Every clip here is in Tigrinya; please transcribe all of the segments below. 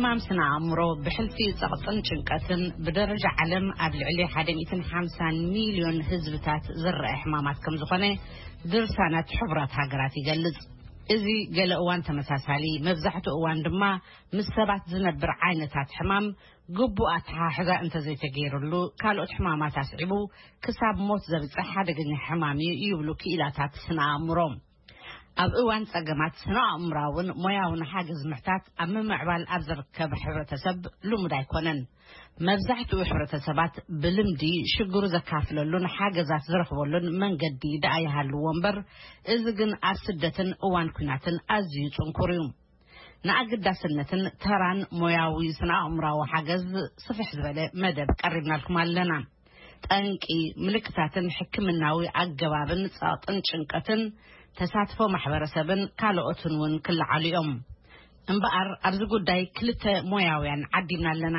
ሕማም ስነ ኣእምሮ ብሕልፊ ጸቕጥን ጭንቀትን ብደረጃ ዓለም ኣብ ልዕሊ ሓደ ሚእትን ሓምሳን ሚልዮን ህዝብታት ዝረአ ሕማማት ከም ዝኾነ ድርሳናት ሕቡራት ሃገራት ይገልጽ። እዚ ገለ እዋን ተመሳሳሊ፣ መብዛሕትኡ እዋን ድማ ምስ ሰባት ዝነብር ዓይነታት ሕማም ግቡእ ኣተሓሕዛ እንተዘይተገይርሉ፣ ካልኦት ሕማማት ኣስዒቡ ክሳብ ሞት ዘብጽሕ ሓደገኛ ሕማም እዩ ይብሉ ክኢላታት ስነ ኣእምሮ። ኣብ እዋን ጸገማት ስነ ኣእምራውን ሞያውን ሓገዝ ምሕታት ኣብ ምምዕባል ኣብ ዝርከብ ሕብረተሰብ ልሙድ ኣይኮነን። መብዛሕትኡ ሕብረተሰባት ብልምዲ ሽግሩ ዘካፍለሉን ሓገዛት ዝረኽበሉን መንገዲ ደኣ ይሃልዎ እምበር፣ እዚ ግን ኣብ ስደትን እዋን ኲናትን ኣዝዩ ጽንኩር እዩ። ንኣገዳስነትን ተራን ሞያዊ ስነ ኣእምራዊ ሓገዝ ስፍሕ ዝበለ መደብ ቀሪብናልኩም ኣለና። ጠንቂ፣ ምልክታትን ሕክምናዊ ኣገባብን ጸቕጥን ጭንቀትን፣ ተሳትፎ ማሕበረሰብን ካልኦትን እውን ክለዓሉ እዮም። እምበኣር ኣብዚ ጉዳይ ክልተ ሞያውያን ዓዲምና ኣለና።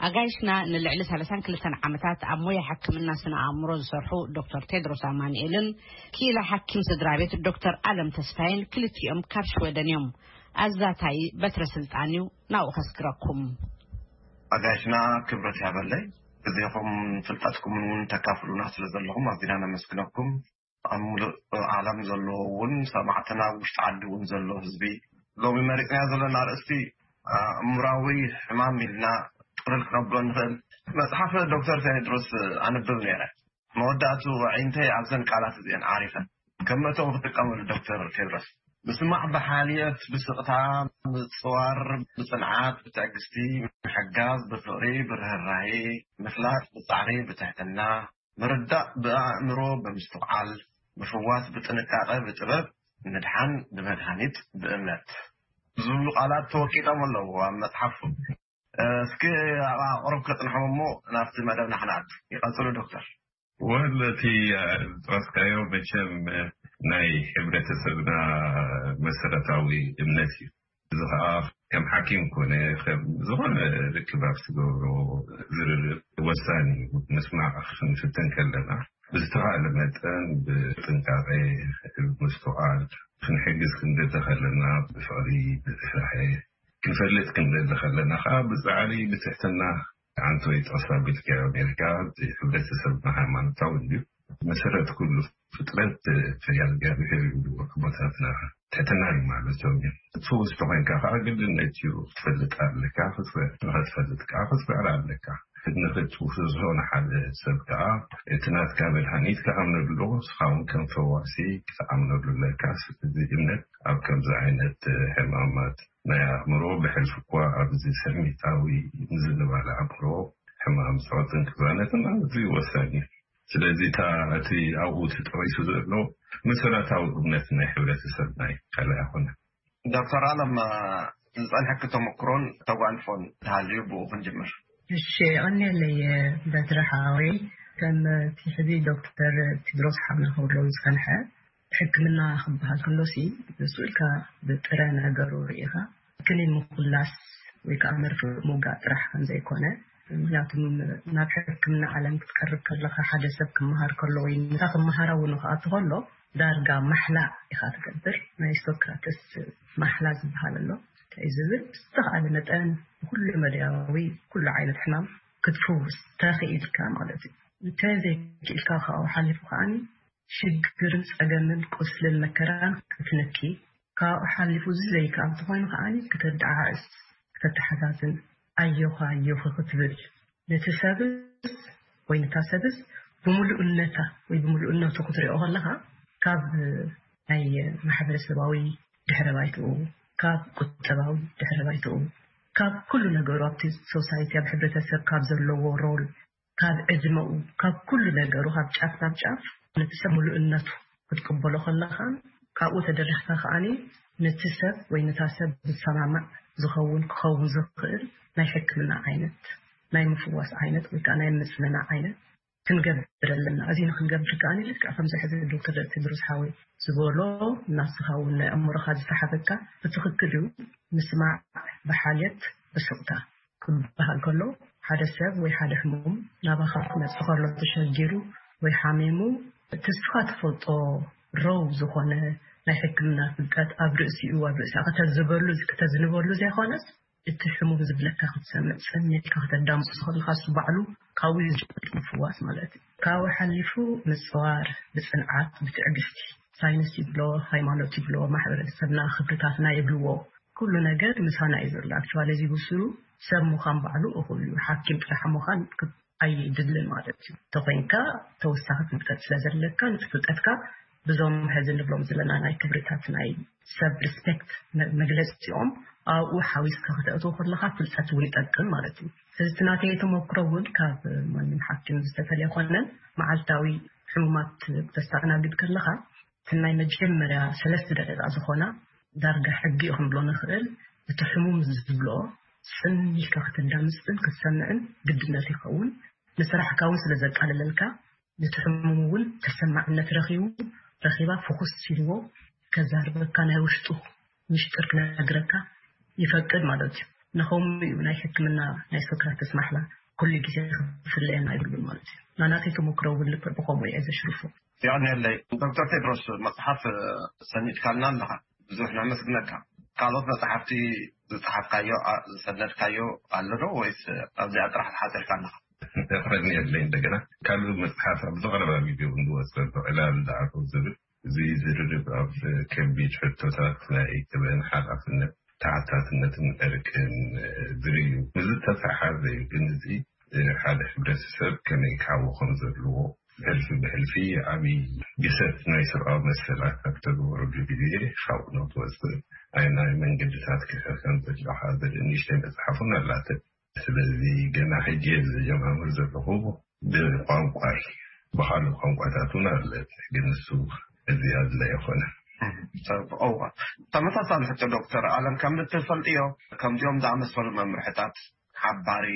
ኣጋይሽና ንልዕሊ ሰላሳን ክልተን ዓመታት ኣብ ሞያ ሕክምና ስነ ኣእምሮ ዝሰርሑ ዶክተር ቴድሮስ ኣማኑኤልን ክኢላ ሓኪም ስድራ ቤት ዶክተር ኣለም ተስፋይን ክልቲኦም ካብ ሽወደን እዮም። ኣዛታይ በትረ ስልጣን እዩ፣ ናብኡ ከስግረኩም። ኣጋይሽና ክብረት ያበለይ፣ ግዜኹም ፍልጠትኩምን እውን ተካፍሉና ስለ ዘለኹም ኣዚና ነመስግነኩም። ኣብ ሙሉእ ዓለም ዘለዎ እውን ሰማዕትና፣ ኣብ ውሽጢ ዓዲ እውን ዘሎ ህዝቢ፣ ሎሚ መሪፅና ዘለና ኣርእስቲ ኣእምራዊ ሕማም ኢልና ጥቅልል ክነብሎ ንኽእል። መፅሓፍ ዶክተር ቴድሮስ ኣንብብ ነይረ። መወዳእቱ ኣዒንተይ ኣብዘን ቃላት እዚአን ዓሪፈን። ከም መእተዊ ክጥቀመሉ ዶክተር ቴድሮስ። ምስማዕ ብሓልየት፣ ብስቕታ፣ ምጽዋር፣ ብጽንዓት፣ ብትዕግስቲ፣ ምሕጋዝ፣ ብፍቕሪ፣ ብርህራሄ፣ ምፍላጥ፣ ብጻዕሪ፣ ብትሕትና፣ ምርዳእ፣ ብኣእምሮ፣ ብምስትውዓል፣ ምፍዋስ፣ ብጥንቃቐ፣ ብጥበብ፣ ምድሓን፣ ብመድሃኒት፣ ብእምነት ዝብሉ ቃላት ተወቂጦም ኣለዉ ኣብ መጽሓፉ። እስኪ ኣብ ኣቕርብ ከጽንሖም እሞ ናብቲ መደብና ክንኣቱ። ይቐጽሉ ዶክተር። ወል እቲ ዝጠቐስካዮ መቸም ናይ ሕብረተሰብና መሰረታዊ እምነት እዩ። እዚ ኸዓ ከም ሓኪም ኮነ ከም ዝኾነ ርክብ ኣብ ትገብሮ ዝርርብ ወሳኒ እዩ። ምስማዕ ክንፍትን ከለና ብዝተኻእለ መጠን ብጥንቃቄ፣ ብምስትውዓል ክንሕግዝ ክንደሊ ከለና ብፍቕሪ፣ ብርህራሄ ክንፈልጥ ክንደሊ ከለና ከዓ ብጻዕሪ፣ ብትሕትና፣ ኣንተ ወይ ጠቕሳ ኣቢልካዮ ጌርካ፣ እቲ ሕብረተሰብና ሃይማኖታዊ እዩ። መሰረት ኩሉ ፍጥረት ፈሪሃ እግዚኣብሔር እዩ ኣቦታትና። ትሕትና እዩ ማለቶም እዩ። ትውስቶ ኮይንካ ከዓ ግድነት እዩ ክትፈልጥ ኣለካ። ክትፈ-፣ ንኽትፈልጥ ከዓ ክትፍዕር ኣለካ። ንኽትውስሶ ንሓደ ሰብ ከዓ እቲ ናትካ መድሃኒት ክኣምነሉ ኣለዎ፣ ንስኻ እውን ከም ፈዋሲ ክትኣምነሉ ኣለካ። ስለዚ እምነት ኣብ ከምዚ ዓይነት ሕማማት ናይ ኣእምሮ ብሕልፊ እኳ ኣብዚ ስሚታዊ ምዝንባል ኣእምሮ፣ ሕማም ጸቕጥን ቅዛነትን ኣዝዩ ወሳኒ እዩ። ስለዚ እታ እቲ ኣብኡ ተጠቒሱ ዘሎ መሰረታዊ እምነት ናይ ሕብረተሰብና እዩ፣ ካልእ ኣይኮነን። ዶክተር ኣለም፣ ዝጸንሐኪ ተመክሮን ተጓንፎን እንተሃልዩ ብኡ ክንጅምር። እሺ፣ የቐንየለይ በትሪ ሓወይ። ከም እቲ ሕዚ ዶክተር ቴድሮስ ሓውና ክብሎ ዝጸንሐ፣ ሕክምና ክበሃል ከሎሲ ንሱ ኢልካ ብጥረ ነገሩ ርኢኻ ክኒን ምኹላስ ወይ ከዓ መርፍእ ምውጋእ ጥራሕ ከም ዘይኮነ፣ ምክንያቱ ናብ ሕክምና ዓለም ክትቀርብ ከለኻ፣ ሓደ ሰብ ክመሃር ከሎ ወይ ነታ ክመሃራ እውን ክኣቱ ከሎ ዳርጋ ማሕላ ኢኻ ትገብር። ናይ ሂፖክራተስ ማሕላ ዝበሃል ኣሎ። እንታይ እዩ ዝብል? ብዝተኻእለ መጠን ብኩሉ መዳያዊ ኩሉ ዓይነት ሕማም ክትፍውስ ተኽኢልካ ማለት እዩ። እንተዘይክኢልካ ካብኡ ሓሊፉ ከዓኒ ሽግርን ጸገምን ቁስልን መከራን ክትነኪ፣ ካብኡ ሓሊፉ እዚ ዘይከኣል እንተኾይኑ ከዓኒ ከተደዓዕስ፣ ከተተሓዛዝን፣ ኣዮኻ ኣዮኺ ክትብል፣ ነቲ ሰብስ ወይ ነታ ሰብስ ብምሉእነታ ወይ ብምሉእነቱ ክትሪኦ ከለኻ፣ ካብ ናይ ማሕበረሰባዊ ድሕረ ባይትኡ፣ ካብ ቁጠባዊ ድሕረ ባይትኡ፣ ካብ ኩሉ ነገሩ ኣብቲ ሶሳይቲ፣ ኣብ ሕብረተሰብ ካብ ዘለዎ ሮል፣ ካብ ዕድመኡ፣ ካብ ኩሉ ነገሩ፣ ካብ ጫፍ ናብ ጫፍ ነቲ ሰብ ምሉእነቱ ክትቅበሎ ከለኻን ካብኡ ተደሪኽካ ከዓኒ ነቲ ሰብ ወይ ነታ ሰብ ዝሰማማዕ ዝኸውን ክኸውን ዝኽእል ናይ ሕክምና ዓይነት፣ ናይ ምፍዋስ ዓይነት ወይ ከዓ ናይ ምጽንናዕ ዓይነት ክንገብር ኣለና። እዚ ንክንገብር ከዓኒ ልክዕ ከምዚ ሕዚ ዶክተር ቴድሮስ ሓወይ ዝበሎ ናስኻ እውን ናይ ኣእምሮኻ ዝሰሓበካ ብትኽክል እዩ። ምስማዕ ብሓልየት ብስቕታ ክበሃል ከሎ ሓደ ሰብ ወይ ሓደ ሕሙም ናባኻ ክመጽእ ከሎ ተሸጊሩ ወይ ሓሚሙ እቲ ንስኻ ትፈልጦ ረው ዝኾነ ናይ ሕክምና ፍልጠት ኣብ ርእሲኡ ኣብ ርእሲኣ ከተዝበሉ ከተዝንበሉ ዘይኮነስ እቲ ሕሙም ዝብለካ ክትሰምዕ፣ ጽን ኢልካ ከተዳምጽ ከለኻ፣ እሱ ባዕሉ ካብኡ እዩ ዝጅምር ምፍዋስ ማለት እዩ። ካብኡ ሓሊፉ ምጽዋር፣ ብጽንዓት፣ ብትዕግስቲ፣ ሳይንስ ይብሎ፣ ሃይማኖት ይብሎ፣ ማሕበረሰብና፣ ክብርታትና ይብልዎ፣ ኩሉ ነገር ምሳና እዩ ዘሎ። ኣክቹዋሊ እዚ ብስሩ ሰብ ምዃን ባዕሉ እኹል እዩ። ሓኪም ጥራሕ ምዃን ክብ-፣ ኣይድልን ማለት እዩ። ተኾይንካ ተወሳኺ ፍልጠት ስለ ዘለካ፣ ነቲ ፍልጠትካ ብዞም ሕዚ ንብሎም ዘለና ናይ ክብርታት ናይ ሰብ ሪስፔክት መ-፣ መግለፂኦም ኣብኡ ሓዊስካ ክተእትዎ ከለኻ ፍልጠት እውን ይጠቅም ማለት እዩ። እዚ እቲ ናተይ ተመክሮ እውን ካብ ማንም ሓኪም ዝተፈልየ ኮነን፣ መዓልታዊ ሕሙማት ክተስተኣናግድ ከለኻ፣ እቲ ናይ መጀመርያ ሰለስተ ደቂቃ ዝኾና ዳርጋ ሕጊ እዩ ክንብሎ ንኽእል። እቲ ሕሙም ዝብሎ ጽን ኢልካ ከተዳምጽን ክትሰምዕን ግድነት ይኸውን። ንስራሕካ እውን ስለ ዘቃልለልካ፣ ነቲ ሕሙም እውን ተሰማዕነት ረኺቡ፣ ረኺባ ፍኹስ ኢልዎ ከዛርበካ፣ ናይ ውሽጡ ሚስጥር ክነግረካ ይፈቅድ ማለት እዩ። ንኸምኡ እዩ ናይ ሕክምና ናይ ሶክራተስ ማሕላ ኩሉ ግዜ ክፍለየና ኣይብሉን ማለት እዩ። ናናተይ ተመክሮ እውን ልክዕ ብኸምኡ እየ ዘሽርፎ። የቐንየለይ። ዶክተር ቴድሮስ፣ መጽሓፍ ሰኒድካልና ኣለኻ፣ ብዙሕ ነመስግነካ። ካልኦት መጽሓፍቲ ዝጸሓፍካዮ፣ ኣ-፣ ዝሰነድካዮ ኣሎ ዶ፣ ወይስ ኣብዚኣ ጥራሕ ተሓጺርካ ኣለኻ? የቐንየለይ። እንደገና ካልእ መጽሓፍ ኣብ ዝቐረባ ግዜ እውን ዝወጽእ ኣሎ፣ ዕላል ዝኣተው ዝብል፣ እዚ ዝርርብ ኣብ ከቢድ ሕቶታት ናይ ክብርን ሓላፍነት፣ ተሓታትነትን ዕርቅን ዝርኢ እዩ። እዚ ዝተተሓሓዘ እዩ፣ ግን እዚ ሓደ ሕብረተሰብ ከመይ ክዓቢ ከም ዘለዎ፣ ሕልፊ ብሕልፊ ዓብዪ ግሰት ናይ ሰብኣዊ መሰላት ኣብ ተግበረሉ ግዜ፣ ካብኡ ንክትወፅእ ኣየናይ መንገድታት ክሕር ከም ዘለካ ዘርኢ ንእሽተይ መፅሓፍ እውን ኣላትን። ስለዚ ገና ሕጂ እየ ዝጀማምር ዘለኹ፣ ብቋንቋይ፣ ብኻልእ ቋንቋታት እውን ኣለ፣ ግን እሱ እዚ ኣድላይ ኣይኮነን። እም፣ ሰብ-፣ እዋ። ተመሳሳሊ ሕቶ ዶክተር ኣለም፣ ከም እትፈልጥዮ፣ ከምዚኦም ዝኣመሰሉ መምርሕታት ሓባሪ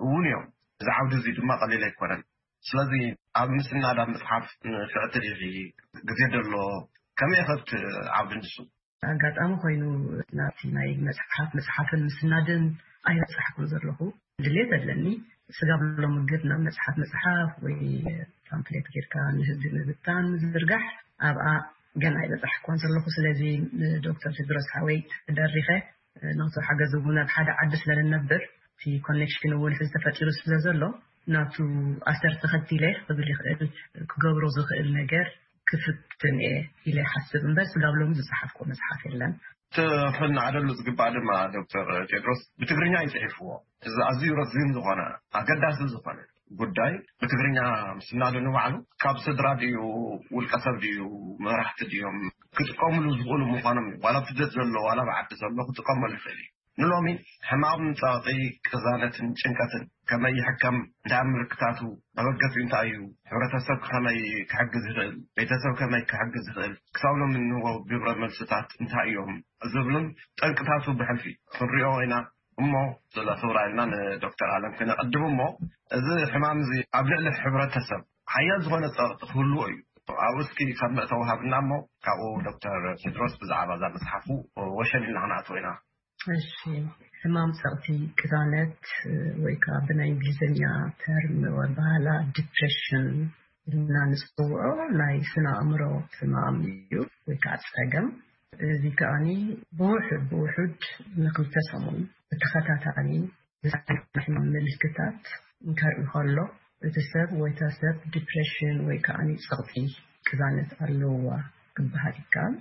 እውን እዮም። እዚ ዓውዲ እዚ ድማ ቀሊል ኣይኮነን። ስለዚ ኣብ ምስናድ ኣብ ምፅሓፍ ንፍዕቲ ዲኺ? ግዜ ደሎ? ከመይ ኢኸ ኣብቲ ዓውዲ ንሱ? ኣጋጣሚ ኮይኑ ናብቲ ናይ መጽሓፍ ምጽሓፍን ምስናድን ኣይበጻሕኩን ዘለኹ። ድሌት ኣለኒ። ስጋብ ሎሚ ግን ናብ መጽሓፍ ምጽሓፍ ወይ ፓምፍሌት ጌርካ ንህዝቢ ምብታን ምዝርጋሕ ኣብኣ ገና ኣይበጻሕኩን ዘለኹ። ስለዚ ንዶክተር ቴድሮስ ሓወይ ተደሪኸ ናቱ ሓገዝ እውን ኣብ ሓደ ዓዲ ስለ ንነብር እቲ ኮኔክሽን እውን ሕዚ ተፈጢሩ ስለ ዘሎ ናቱ ኣሰር ተኸቲለ ክብል ይኽእል፣ ክገብሮ ዝኽእል ነገር ክፍትን እየ ኢለ ይሓስብ እምበር ስጋብ ሎሚ ዝጸሓፍኩ መጽሓፍ የለን። እቲ ክንዓደሉ ዝግባእ ድማ ዶክተር ቴድሮስ ብትግርኛ እዩ ጽሒፍዎ። እዚ ኣዝዩ ረዚን ዝኾነ ኣገዳሲ ዝኾነ ጉዳይ ብትግርኛ ምስናዱ ንባዕሉ ካብ ስድራ ድዩ ውልቀ ሰብ ድዩ መራሕቲ ድዮም ክጥቀምሉ ዝኽእሉ ምዃኖም እዩ። ዋላ ኣብ ስደት ዘሎ ዋላ ኣብ ዓዲ ዘሎ ክጥቀመሉ ይኽእል እዩ። ንሎሚ ሕማም ጸቕጢ፣ ቅዛነትን ጭንቀትን ከመይ ይሕከም፣ እንታይ ምልክታቱ፣ መበገሲኡ እንታይ እዩ፣ ሕብረተሰብ ከመይ ክሕግዝ ይኽእል፣ ቤተሰብ ከመይ ክሕግዝ ይኽእል፣ ክሳብ ሎሚ እንህቦ ግብረ መልስታት እንታይ እዮም ዝብሉን ጠንቅታቱ ብሕልፊ ክንሪኦ ኢና እሞ፣ ስለ ክብራ ኢልና ንዶክተር ኣለም ክነቐድም እሞ፣ እዚ ሕማም እዚ ኣብ ልዕሊ ሕብረተሰብ ሓያል ዝኾነ ጸቕጢ ክህልዎ እዩ። ኣብኡ እስኪ ካብ መእተዊ ሃብና እሞ፣ ካብኡ ዶክተር ቴድሮስ ብዛዕባ እዛ መጽሓፉ ወሸል ኢልና ክንኣትዎ ኢና። እሺ፣ ሕማም ጸቕጢ ቅዛነት ወይ ከዓ ብናይ እንግሊዝኛ ተርም ወይ ባህላ ዲፕሬሽን ኢልና ንጽውዖ ናይ ስነ ኣእምሮ ሕማም እዩ ወይ ከዓ ጸገም። እዚ ከኣኒ ብውሑድ ብውሑድ ንክልተ ሰሙን ብተኸታታሊ ዝሰማዕ ሕማም ምልክታት እንከርኢ ከሎ፣ እቲ ሰብ ወይ እታ ሰብ ዲፕሬሽን ወይ ከኣኒ ጸቕጢ ቅዛነት ኣለዋ ክበሃል ይከኣል።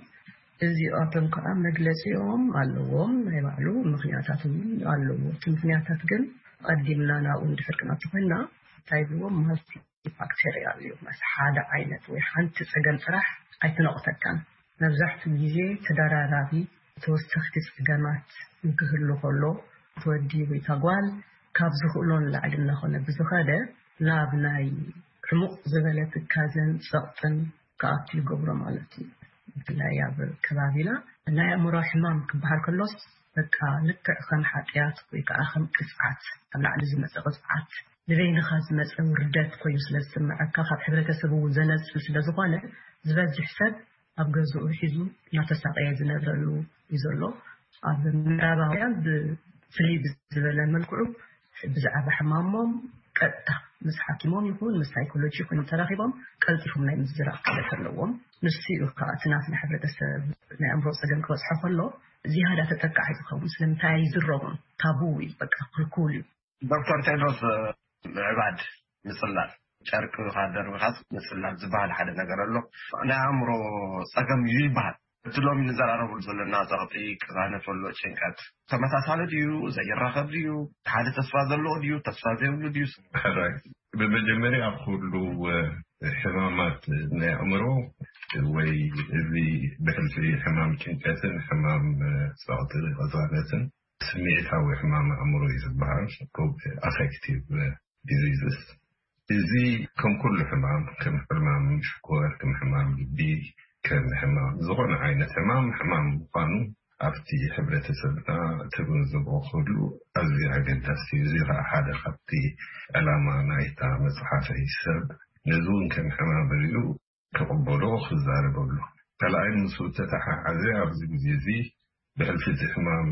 እዚኣቶም ከኣ መግለጺኦም ኣለዎም፣ ናይ ባዕሉ ምኽንያታት እውን ኣለዎ። እቲ ምኽንያታት ግን ቀዲምና ናብኡ እንድሕር ክንኣቱ ኮይንና፣ እንታይ ይብልዎ? ማልቲ ፋክተሪያል እዩ። ማለት ሓደ ዓይነት ወይ ሓንቲ ጸገም ጥራሕ ኣይትነቑተካን። መብዛሕትኡ ግዜ ተደራራቢ ተወሰኽቲ ጸገማት እንክህሉ ከሎ፣ እቲ ወዲ ወይ እታ ጓል ካብ ዝኽእሎ ንላዕሊ እናኾነ ብዝኸደ፣ ናብ ናይ ዕሙቕ ዝበለ ትካዘን ጸቕጥን ክኣቱ ይገብሮ ማለት እዩ። ብፍላይ ኣብ ከባቢና ናይ ኣእምሮ ሕማም ክበሃል ከሎስ፣ በቃ ልክዕ ከም ሓጢኣት ወይ ከዓ ከም ቅጽዓት፣ ኣብ ላዕሊ ዝመጸ ቅጽዓት፣ ንበይንኻ ዝመጸ ውርደት ኮይኑ ስለ ዝስምዐካ፣ ካብ ሕብረተሰብ እውን ዘነጽል ስለ ዝኾነ፣ ዝበዝሕ ሰብ ኣብ ገዝኡ ሒዙ እናተሳቐየ ዝነብረሉ እዩ ዘሎ። ኣብ ምዕራባውያን ብፍልይ ብዝበለ መልክዑ ብዛዕባ ሕማሞም ቀጥታ ምስ ሓኪሞም ይኹን ምስ ሳይኮሎጂ ይኹን ተራኺቦም ቀልጢፎም ናይ ምዝራብ ክእለት ኣለዎም። ንሱ እዩ ከዓ እቲ ናትና ሕብረተሰብ ናይ ኣእምሮ ፀገም ክበፅሖ ከሎ ዝያዳ ተጠቃዒ ዝኸውን። ስለምንታይ ኣይዝረቡን? ታቡ እዩ፣ በቃ ክልኩል እዩ። ዶክተር ቴድሮስ፣ ምዕባድ፣ ምፅላል፣ ጨርቂ ደርቢኻስ ምፅላል ዝበሃል ሓደ ነገር ኣሎ። ናይ ኣእምሮ ፀገም እዩ ይበሃል። እቲ ሎሚ ንዘራረብሉ ዘለና ፀቕጢ፣ ቅዛነት፣ ወሎ ጭንቀት ተመሳሳሊ ድዩ? ዘይራኸብ ድዩ? ሓደ ተስፋ ዘለዎ ድዩ? ተስፋ ዘይብሉ ድዩ? ሕራይ፣ ብመጀመርያ ኩሉ ሕማማት ናይ ኣእምሮ ወይ እዚ ብሕልፊ ሕማም ጭንቀትን ሕማም ፀቕጢ ቅዛነትን ስምዒታዊ ሕማም ኣእምሮ እዩ ዝበሃል፣ ኣፌክቲቭ ዲዚዝስ። እዚ ከም ኩሉ ሕማም፣ ከም ሕማም ሽኮር፣ ከም ሕማም ልቢ፣ ከም ሕማም ዝኾነ ዓይነት ሕማም ሕማም ምዃኑ ኣብቲ ሕብረተሰብና ትግንዝቦ ክህሉ ኣዝዩ ኣገዳሲ እዩ። እዚ ከዓ ሓደ ካብቲ ዕላማ ናይታ መፅሓፈይ። ሰብ ነዚ እውን ከም ሕማም ርእዩ ክቕበሎ ክዛረበሉ። ካልኣይ፣ ምስ ተተሓሓዘ ኣብዚ ግዜ እዚ ብሕልፊ እቲ ሕማም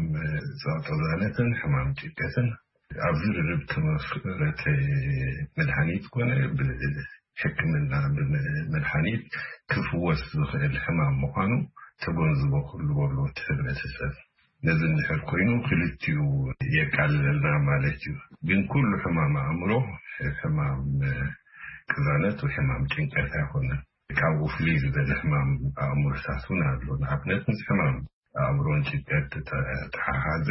ጸቕጥዛነትን ሕማም ጭንቀትን ኣብ ዝርርብ ተመስረተ መድሃኒት ኮነ ብሕክምና ብመድሃኒት ክፍወስ ዝኽእል ሕማም ምዃኑ ተጎንዝቦ ክህልዎ ኣለዎ እቲ ሕብረተሰብ። ነዚ እንድሕር ኮይኑ ክልቲኡ የቃልለልና ማለት እዩ። ግን ኩሉ ሕማም ኣእምሮ ሕማም ቅዛነት ወይ ሕማም ጭንቀት ኣይኮነን። ካብኡ ፍልይ ዝበለ ሕማም ኣእምሮታት እውን ኣሎ። ንኣብነት ምስ ሕማም ኣእምሮን ጭንቀት ተተሓሓዘ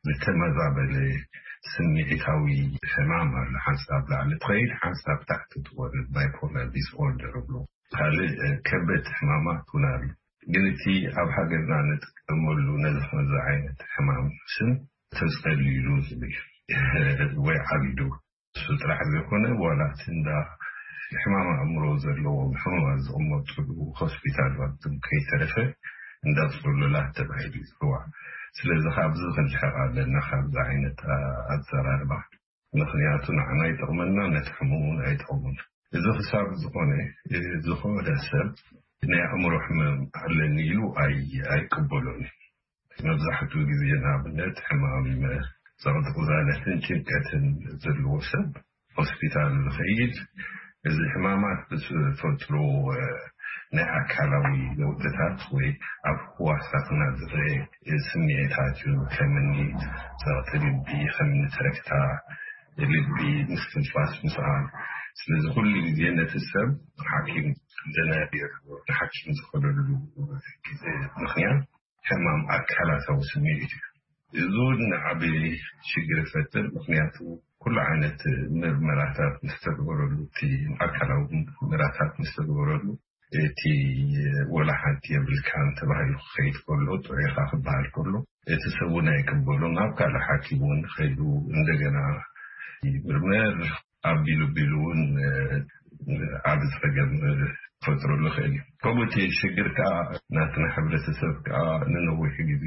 ዝተመዛበለ ስምዒታዊ ሕማም ኣሎ። ሓንሳብ ላዕሊ ትኸይድ፣ ሓንሳብ ታሕቲ ትወርድ፣ ባይፖላር ዲስኦርደር ይብሎ። ካልእ ከበድቲ ሕማማት እውን ኣሎ። ግን እቲ ኣብ ሃገርና ንጥቀመሉ ነዚ ከምዚ ዓይነት ሕማም ስም ተጸልይሉ ዝብል ወይ ዓቢዱ እሱ ጥራሕ ዘይኮነ ዋላ እቲ እንዳ ሕማም ኣእምሮ ዘለዎም ሕሙማት ዝቕመጥሉ ሆስፒታል ኣብቶም ከይተረፈ እንዳ ጽሉላት ተባሂሉ ይጽዋዕ። ስለዚ ካብዚ ክንርሕቕ ኣለና፣ ካብዚ ዓይነት ኣዘራርባ። ምኽንያቱ ንዓና ኣይጠቕመና፣ ነቲ ሕሙም እውን ኣይጠቕሙን። እዚ ክሳብ ዝኾነ ዝኾነ ሰብ ናይ ኣእምሮ ሕመም ኣለኒ ኢሉ ኣይ ኣይቅበሎን እዩ። መብዛሕትኡ ግዜ ንኣብነት ሕማም ጸቕጢ ቅዛነትን ጭንቀትን ዘለዎ ሰብ ሆስፒታል ዝኸይድ እዚ ሕማማት ብዝፈጥሩ ናይ ኣካላዊ ለውጥታት ወይ ኣብ ህዋሳትና ዝረአ ስምዒታት እዩ። ከምኒ ጸቕጢ ልቢ፣ ከምኒ ትረክታ ልቢ፣ ምስትንፋስ ምስኣን። ስለዚ ኩሉ ግዜ ነቲ ሰብ ሓኪም ዘናብር ንሓኪም ዝኸደሉ ግዜ ምኽንያት ሕማም ኣካላታዊ ስምዒት እዩ። እዚ እውን ዓቢ ሽግር ይፈጥር። ምኽንያቱ ኩሉ ዓይነት ምርመራታት ምስ ተግበረሉ፣ እቲ ኣካላዊ ምርመራታት ምስ ተግበረሉ፣ እቲ ወላ ሓንቲ የብልካን ተባሂሉ ክኸይድ ከሎ፣ ጥዑይኻ ክበሃል ከሎ፣ እቲ ሰብ እውን ኣይቅበሉን። ኣብ ካልእ ሓኪም እውን ከይዱ እንደገና ይምርመር። ኣቢሉ ቢሉ እውን ዓቢ ጸገም ክፈጥረሉ ይኽእል እዩ። ከምኡ እቲ ሽግር ከዓ ናትና ሕብረተሰብ ከዓ ንነዊሕ ግዜ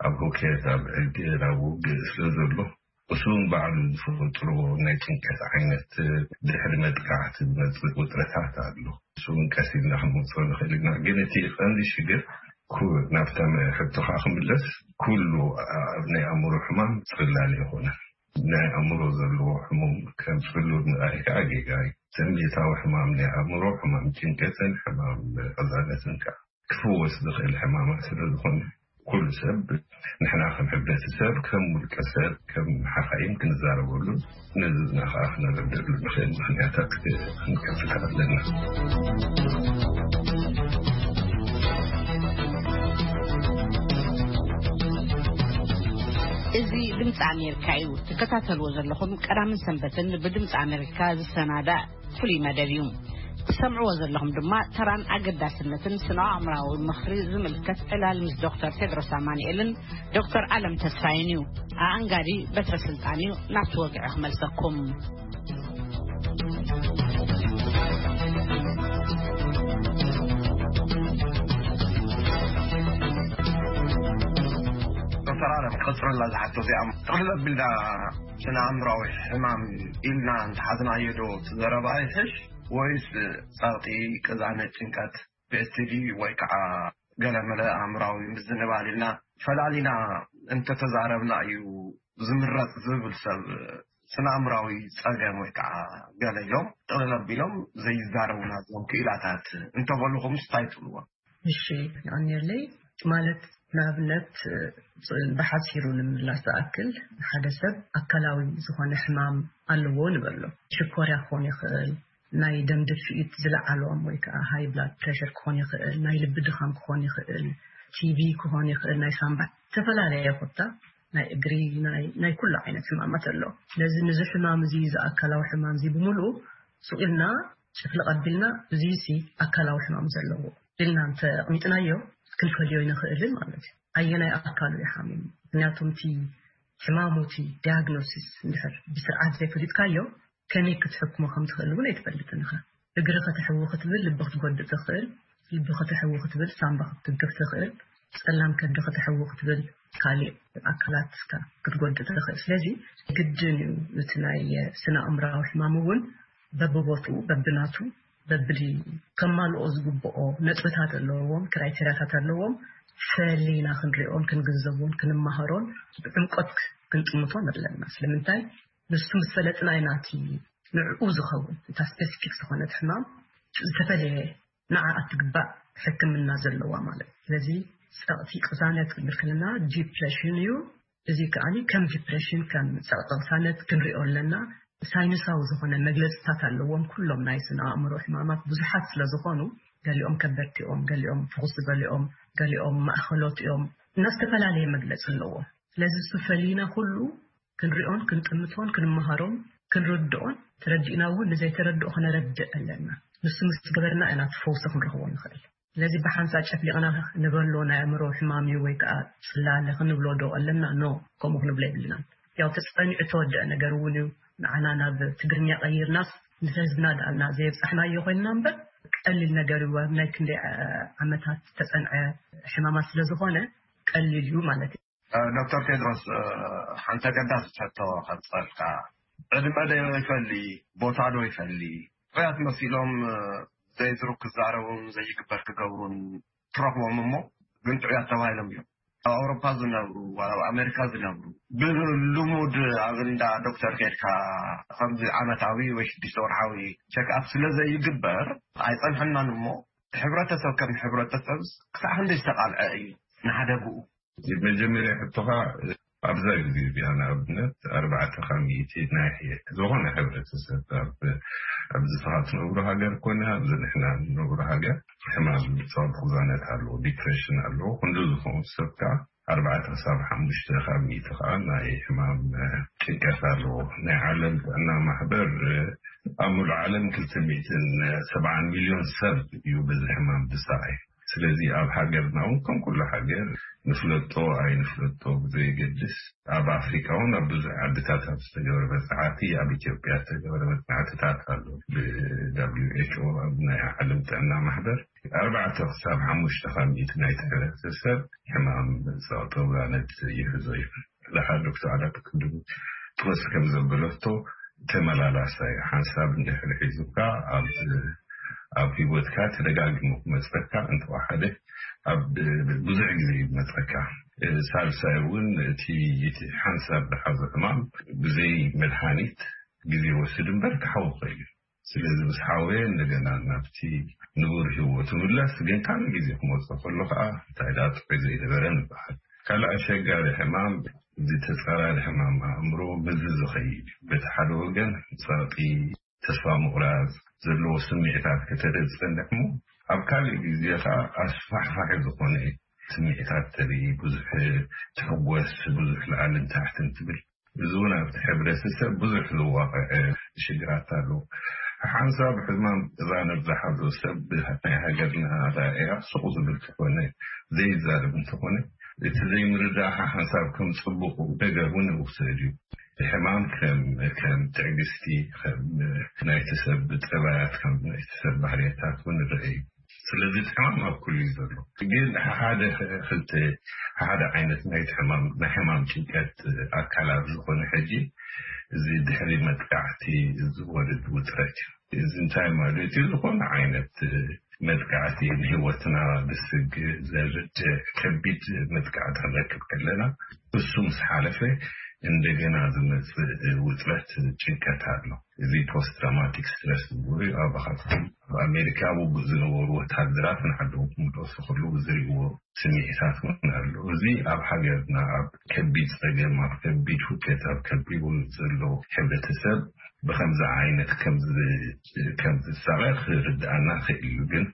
ኣብ ሁከት፣ ኣብ ዕግር፣ ኣብ ውግእ ስለ ዘሎ፣ እሱ እውን ባዕሉ ዝፈጥሮ ናይ ጭንቀት ዓይነት ድሕሪ መጥቃዕቲ ዝመጽእ ውጥረታት ኣሎ። እሱ እውን ቀስ ኢልና ክንመጽኦ ንኽእል ኢና። ግን እቲ ቀንዲ ሽግር ኩ-፣ ናብታ ሕቶኻ ክምለስ፣ ኩሉ ኣብ ናይ ኣእምሮ ሕማም ጽላል ኣይኮነን። ናይ ኣእምሮ ዘለዎ ሕሙም ከም ጽሉል ምርኣይ ከዓ ጌጋ እዩ። ስምዒታዊ ሕማም ናይ ኣእምሮ፣ ሕማም ጭንቀትን ሕማም ቅዛነትን ከዓ ክፍወስ ዝኽእል ሕማማት ስለ ዝኾነ፣ ኩሉ ሰብ፣ ንሕና ከም ሕብረተሰብ፣ ከም ውልቀ ሰብ፣ ከም ሓኻይም ክንዛረበሉ፣ ነዚ ዝና ከዓ ክነረድእሉ ንኽእል ምኽንያታት ክንከፍት ኣለና። እዚ ድምፂ ኣሜሪካ እዩ። ትከታተልዎ ዘለኹም ቀዳምን ሰንበትን ብድምፂ ኣሜሪካ ዝሰናዳእ ፍሉይ መደብ እዩ። ትሰምዕዎ ዘለኹም ድማ ተራን ኣገዳስነትን ስነ ኣእምራዊ ምኽሪ ዝምልከት ዕላል ምስ ዶክተር ቴድሮስ ኣማኑኤልን ዶክተር ኣለም ተስፋይን እዩ። ኣኣንጋዲ በትረ ስልጣን እዩ። ናብቲ ወግዒ ክመልሰኩም። ዶክተር ኣለም፣ ክቕጽረላ ዝሓቶ እዚኣ ጥቕልል ኣቢልና ስነ ኣእምራዊ ሕማም ኢልና እንተሓዝናዮ ዶ እቲ ዘረባ ይሕሽ ወይስ ጸቕጢ፣ ቅዛነት፣ ጭንቀት፣ ፒኤችዲ ወይ ከዓ ገለመለ ኣእምራዊ ምዝንባል ኢልና ፈላሊና እንተተዛረብና እዩ ዝምረጽ ዝብል ሰብ ስነ ኣእምራዊ ጸገም ወይ ከዓ ገለ ኢሎም ጥቕልል ኣቢሎም ዘይዛረቡና እዞም ክኢላታት እንተበልኹምስ እንታይ ትብልዎም? እሺ፣ የቐንየለይ። ማለት ንኣብነት ብሓፂሩ ንምምላስ ዝኣክል፣ ሓደ ሰብ ኣካላዊ ዝኾነ ሕማም ኣለዎ ንበሎ። ሽኮርያ ክኾን ይኽእል፣ ናይ ደም ድፍኢት ዝለዓሎም ወይ ከዓ ሃይ ብላድ ፕሬሸር ክኾን ይኽእል፣ ናይ ልቢ ድኻም ክኾን ይኽእል፣ ቲቪ ክኾን ይኽእል፣ ናይ ሳምባ፣ ዝተፈላለየ ኮታ ናይ እግሪ፣ ናይ ኩሉ ዓይነት ሕማማት ኣሎ። ስለዚ ንዚ ሕማም እዚ፣ እዚ ኣካላዊ ሕማም እዚ ብምሉኡ ስቕ ኢልና ጭፍልቕ ኣቢልና፣ እዚ ሲ ኣካላዊ ሕማም ዘለዎ ኢልና እንተ ኣቕሚጥናዮ፣ ክንፈልዮ ይንኽእልን ማለት እዩ። ኣየናይ ኣካሉ እዩ ሓሚሙ? ምክንያቱ እቲ ሕማሙ፣ እቲ ዲያግኖሲስ እንድሕር ብስርዓት ዘይፈሊጥካዮ፣ ከመይ ክትሕክሞ ከም ትኽእል እውን ኣይትፈልጥን ኢኻ። እግሪ ከተሕዊ ክትብል ልቢ ክትጎድእ ትኽእል፣ ልቢ ከተሕዊ ክትብል ሳምባ ክትትንክፍ ትኽእል፣ ጸላም ከብዲ ከተሕዊ ክትብል ካሊእ ኣካላትካ ክትጎድእ ትኽእል። ስለዚ ግድን እዩ እቲ ናይ ስነ ኣእምራዊ ሕማም እውን በብቦትኡ፣ በብናቱ፣ በብዲ ከማልኦ ዝግብኦ ነጥብታት ኣለዎም፣ ክራይቴሪያታት ኣለዎም። ፈሊና ክንሪኦን ክንግንዘቦን ክንመሃሮን ብዕምቆት ክንጥምቶን ኣለና። ስለምንታይ? ንሱ ምስ ፈለጥና ኢና እቲ ንዕኡ ዝኸውን፣ እታ ስፔሲፊክ ዝኾነት ሕማም ዝተፈለየ ንዓ እትግባእ ሕክምና ዘለዋ ማለት። ስለዚ ጸቕጢ ቅሳነት ክንብል ከለና ዲፕሬሽን እዩ። እዚ ከኣ ከም ዲፕሬሽን፣ ከም ጸቕጢ ቅሳነት ክንሪኦ ኣለና። ሳይንሳዊ ዝኾነ መግለጽታት ኣለዎም። ኩሎም ናይ ስነ ኣእምሮ ሕማማት ብዙሓት ስለ ዝኾኑ፣ ገሊኦም ከበድቲ እዮም፣ ገሊኦም ፍኹስ ዝበሉ እዮም፣ ገሊኦም ማእኸሎት እዮም፣ እና ዝተፈላለየ መግለጺ ኣለዎም። ስለዚ እሱ ፈሊና ኩሉ ክንሪኦን ክንጥምቶን ክንመሃሮን ክንርድኦን፣ ተረዲእና እውን ንዘይተረድኦ ከነረድእ ኣለና። ንሱ ምስ ገበርና ኢና እቲ ፈውሲ ክንረኽቦ ንኽእል። ስለዚ ብሓንሳብ ጨፍሊቕና ንበሎ ናይ ኣእምሮ ሕማም እዩ ወይ ከዓ ጽላለ ክንብሎ ዶ ኣለና? ኖ፣ ከምኡ ክንብሎ የብልናን። ያው ተጸኒዑ ተወደአ ነገር እውን እዩ። ንዓና ናብ ትግርኛ ቀይርናስ ንህዝብና ዳልና ዘየብጻሕናዮ ኮይንና እምበር፣ ቀሊል ነገር እዩ። ኣብ ናይ ክንደይ ዓ-፣ ዓመታት ተጸንዐ ሕማማት ስለ ዝኾነ ቀሊል እዩ ማለት እዩ። እ፣ ዶክተር ቴድሮስ፣ እ፣ ሓንቲ ኣገዳሲት ሕቶ ከብጸልካ። ዕድመ ዶ ይፈሊ፣ ቦታ ዶ ይፈሊ? ጥዑያት መሲሎም፣ እ፣ ዘይዝሩ ክዛረቡን ዘይግበር ክገብሩን ትረኽቦም እሞ ግን ጥዑያት ተባሂሎም እዮም። ኣብ ኣውሮፓ ዝነብሩ፣ ዋላ ኣብ ኣሜሪካ ዝነብሩ፣ ብልሙድ ኣብ እንዳ ዶክተር ከድካ ከምዚ ዓመታዊ ወይ ሽዱሽተ ወርሓዊ ቸክኣፕ ስለ ዘይግበር ኣይጸንሐናን እሞ፣ ሕብረተሰብ ከም ሕብረተሰብ ክሳዕ ክንደይ ዝተቓልዐ እዩ ንሓደግኡ? መጀመርያ ሕቶኻ፣ ኣብዛ ግዜ እዚኣ ንኣብነት ኣርባዕተ ካብ ሚእቲ ናይ ዝኾነ ሕብረተሰብ ኣብ፣ ኣብዚ ንስኻ ትነብሮ ሃገር ኮነ ኣብዚ ንሕና ንነብሮ ሃገር ሕማም ጸቕጢ ቅሳነት ኣለዎ፣ ዲፕሬሽን ኣለዎ። ክንዲ ዝኾኑ ሰብ ከኣ ኣርባዕተ ክሳብ ሓሙሽተ ካብ ሚእቲ ከኣ ናይ ሕማም ጭንቀት ኣለዎ። ናይ ዓለም ጥዕና ማሕበር ኣብ ሙሉእ ዓለም ክልተ ሚእትን ሰብዓን ሚልዮን ሰብ እዩ በዚ ሕማም ዝሳቐይ። ስለዚ ኣብ ሃገርና እውን ከም ኩሉ ሃገር ንፍለጦ ኣይንፍለጦ ብዘየገድስ፣ ኣብ ኣፍሪካ እውን ኣብ ብዙሕ ዓድታት ኣብ ዝተገበረ መፅናዕቲ፣ ኣብ ኢትዮጵያ ዝተገበረ መፅናዕትታት ኣሎ። ብ ደብሊው ኤች ኦ፣ ኣብ ናይ ዓለም ጥዕና ማሕበር፣ ኣርባዕተ ክሳብ ሓሙሽተ ካብ ሚእቲ ናይቲ ሕብረተሰብ ሕማም ጸቕጢ ቅሳነት ይሕዞ እዩ። ደሓር ዶክተር ዓላት ቅድም ጥወስ ከም ዘበለቶ፣ ተመላላሳይ ሓንሳብ እንድሕር ሒዙካ ኣብ፣ ኣብ ህይወትካ ተደጋጊሙ ክመጸካ፣ እንተወሓደ ኣብ ብዙሕ ግዜ ይመጸካ። ሳልሳይ እውን እቲ፣ እቲ ሓንሳብ ዝሓዞ ሕማም ብዘይ መድሃኒት ግዜ ወስድ እምበር ክሓዊ ይኽእል እዩ። ስለዚ ምስ ሓወየ እንደገና ናብቲ ንቡር ህይወቱ ምለስ፣ ግን ካልእ ግዜ ክመጾ ከሎ ከዓ እንታይ ደኣ ጥዑይ ዘይነበረ ንበሃል። ካልእ ኣሸጋሪ ሕማም፣ እዚ ተጻራሪ ሕማም ኣእምሮ በዚ ዝኸይድ እዩ። በቲ ሓደ ወገን ጸቕጢ፣ ተስፋ ምቑራጽ ዘለዎ ስምዒታት ከተርኢ ዝጸንሕ እሞ፣ ኣብ ካልእ ግዜ ከዓ ኣስፋሕፋሒ ዝኾነ ስምዒታት ተርኢ፣ ብዙሕ ትሕጎስ፣ ብዙሕ ላዕልን ታሕትን ትብል። እዚ እውን ኣብቲ ሕብረተሰብ ብዙሕ ዝዋቕዕ ሽግራት ኣሎ። ሓንሳብ ሕማም ቅሳነት ዝሓዞ ሰብ ናይ ሃገርና ኣረኣእያ ስቕ ዝብል እንተኾነ፣ ዘይዛረብ እንተኾነ፣ እቲ ዘይምርዳእ ሓንሳብ ከም ጽቡቕ ነገር እውን ይውሰድ እዩ። ሕማም ከም፣ ከም ትዕግስቲ፣ ከም ናይቲ ሰብ ጠባያት፣ ከም ናይቲ ሰብ ባህርያታት እውን ይረአ እዩ። ስለዚ እቲ ሕማም ኣብ ኩሉ እዩ ዘሎ። ግን ሓደ ክልተ፣ ሓደ ዓይነት ናይቲ ሕማም፣ ናይ ሕማም ጭንቀት ኣካል ኣብ ዝኾነ ሕጂ፣ እዚ ድሕሪ መጥቃዕቲ ዝወርድ ውጥረት እዩ። እዚ እንታይ ማለት እዩ? ዝኾነ ዓይነት መጥቃዕቲ ንህይወትና ብስግ ዘርድ ከቢድ መጥቃዕቲ ክንረክብ ከለና፣ እሱ ምስ ሓለፈ እንደገና ዝመጽእ ውጥረት፣ ጭንቀት ኣሎ። እዚ ፖስት ትራውማቲክ ስትረስ ዝብሉ ኣባኻትኩም ኣብ ኣሜሪካ ውግእ ዝነበሩ ወታደራት ንዓዶም ክምለሱ ከለዉ ዝርእይዎ ስምዒታት እውን ኣሎ። እዚ ኣብ ሃገርና ኣብ ከቢድ ጸገም፣ ኣብ ከቢድ ሁከት፣ ኣብ ከቢድ ውግእ ዘሎ ሕብረተሰብ ብኸምዚ ዓይነት ከም ዝሳቐ ክርድኣና ክእል እዩ። ግን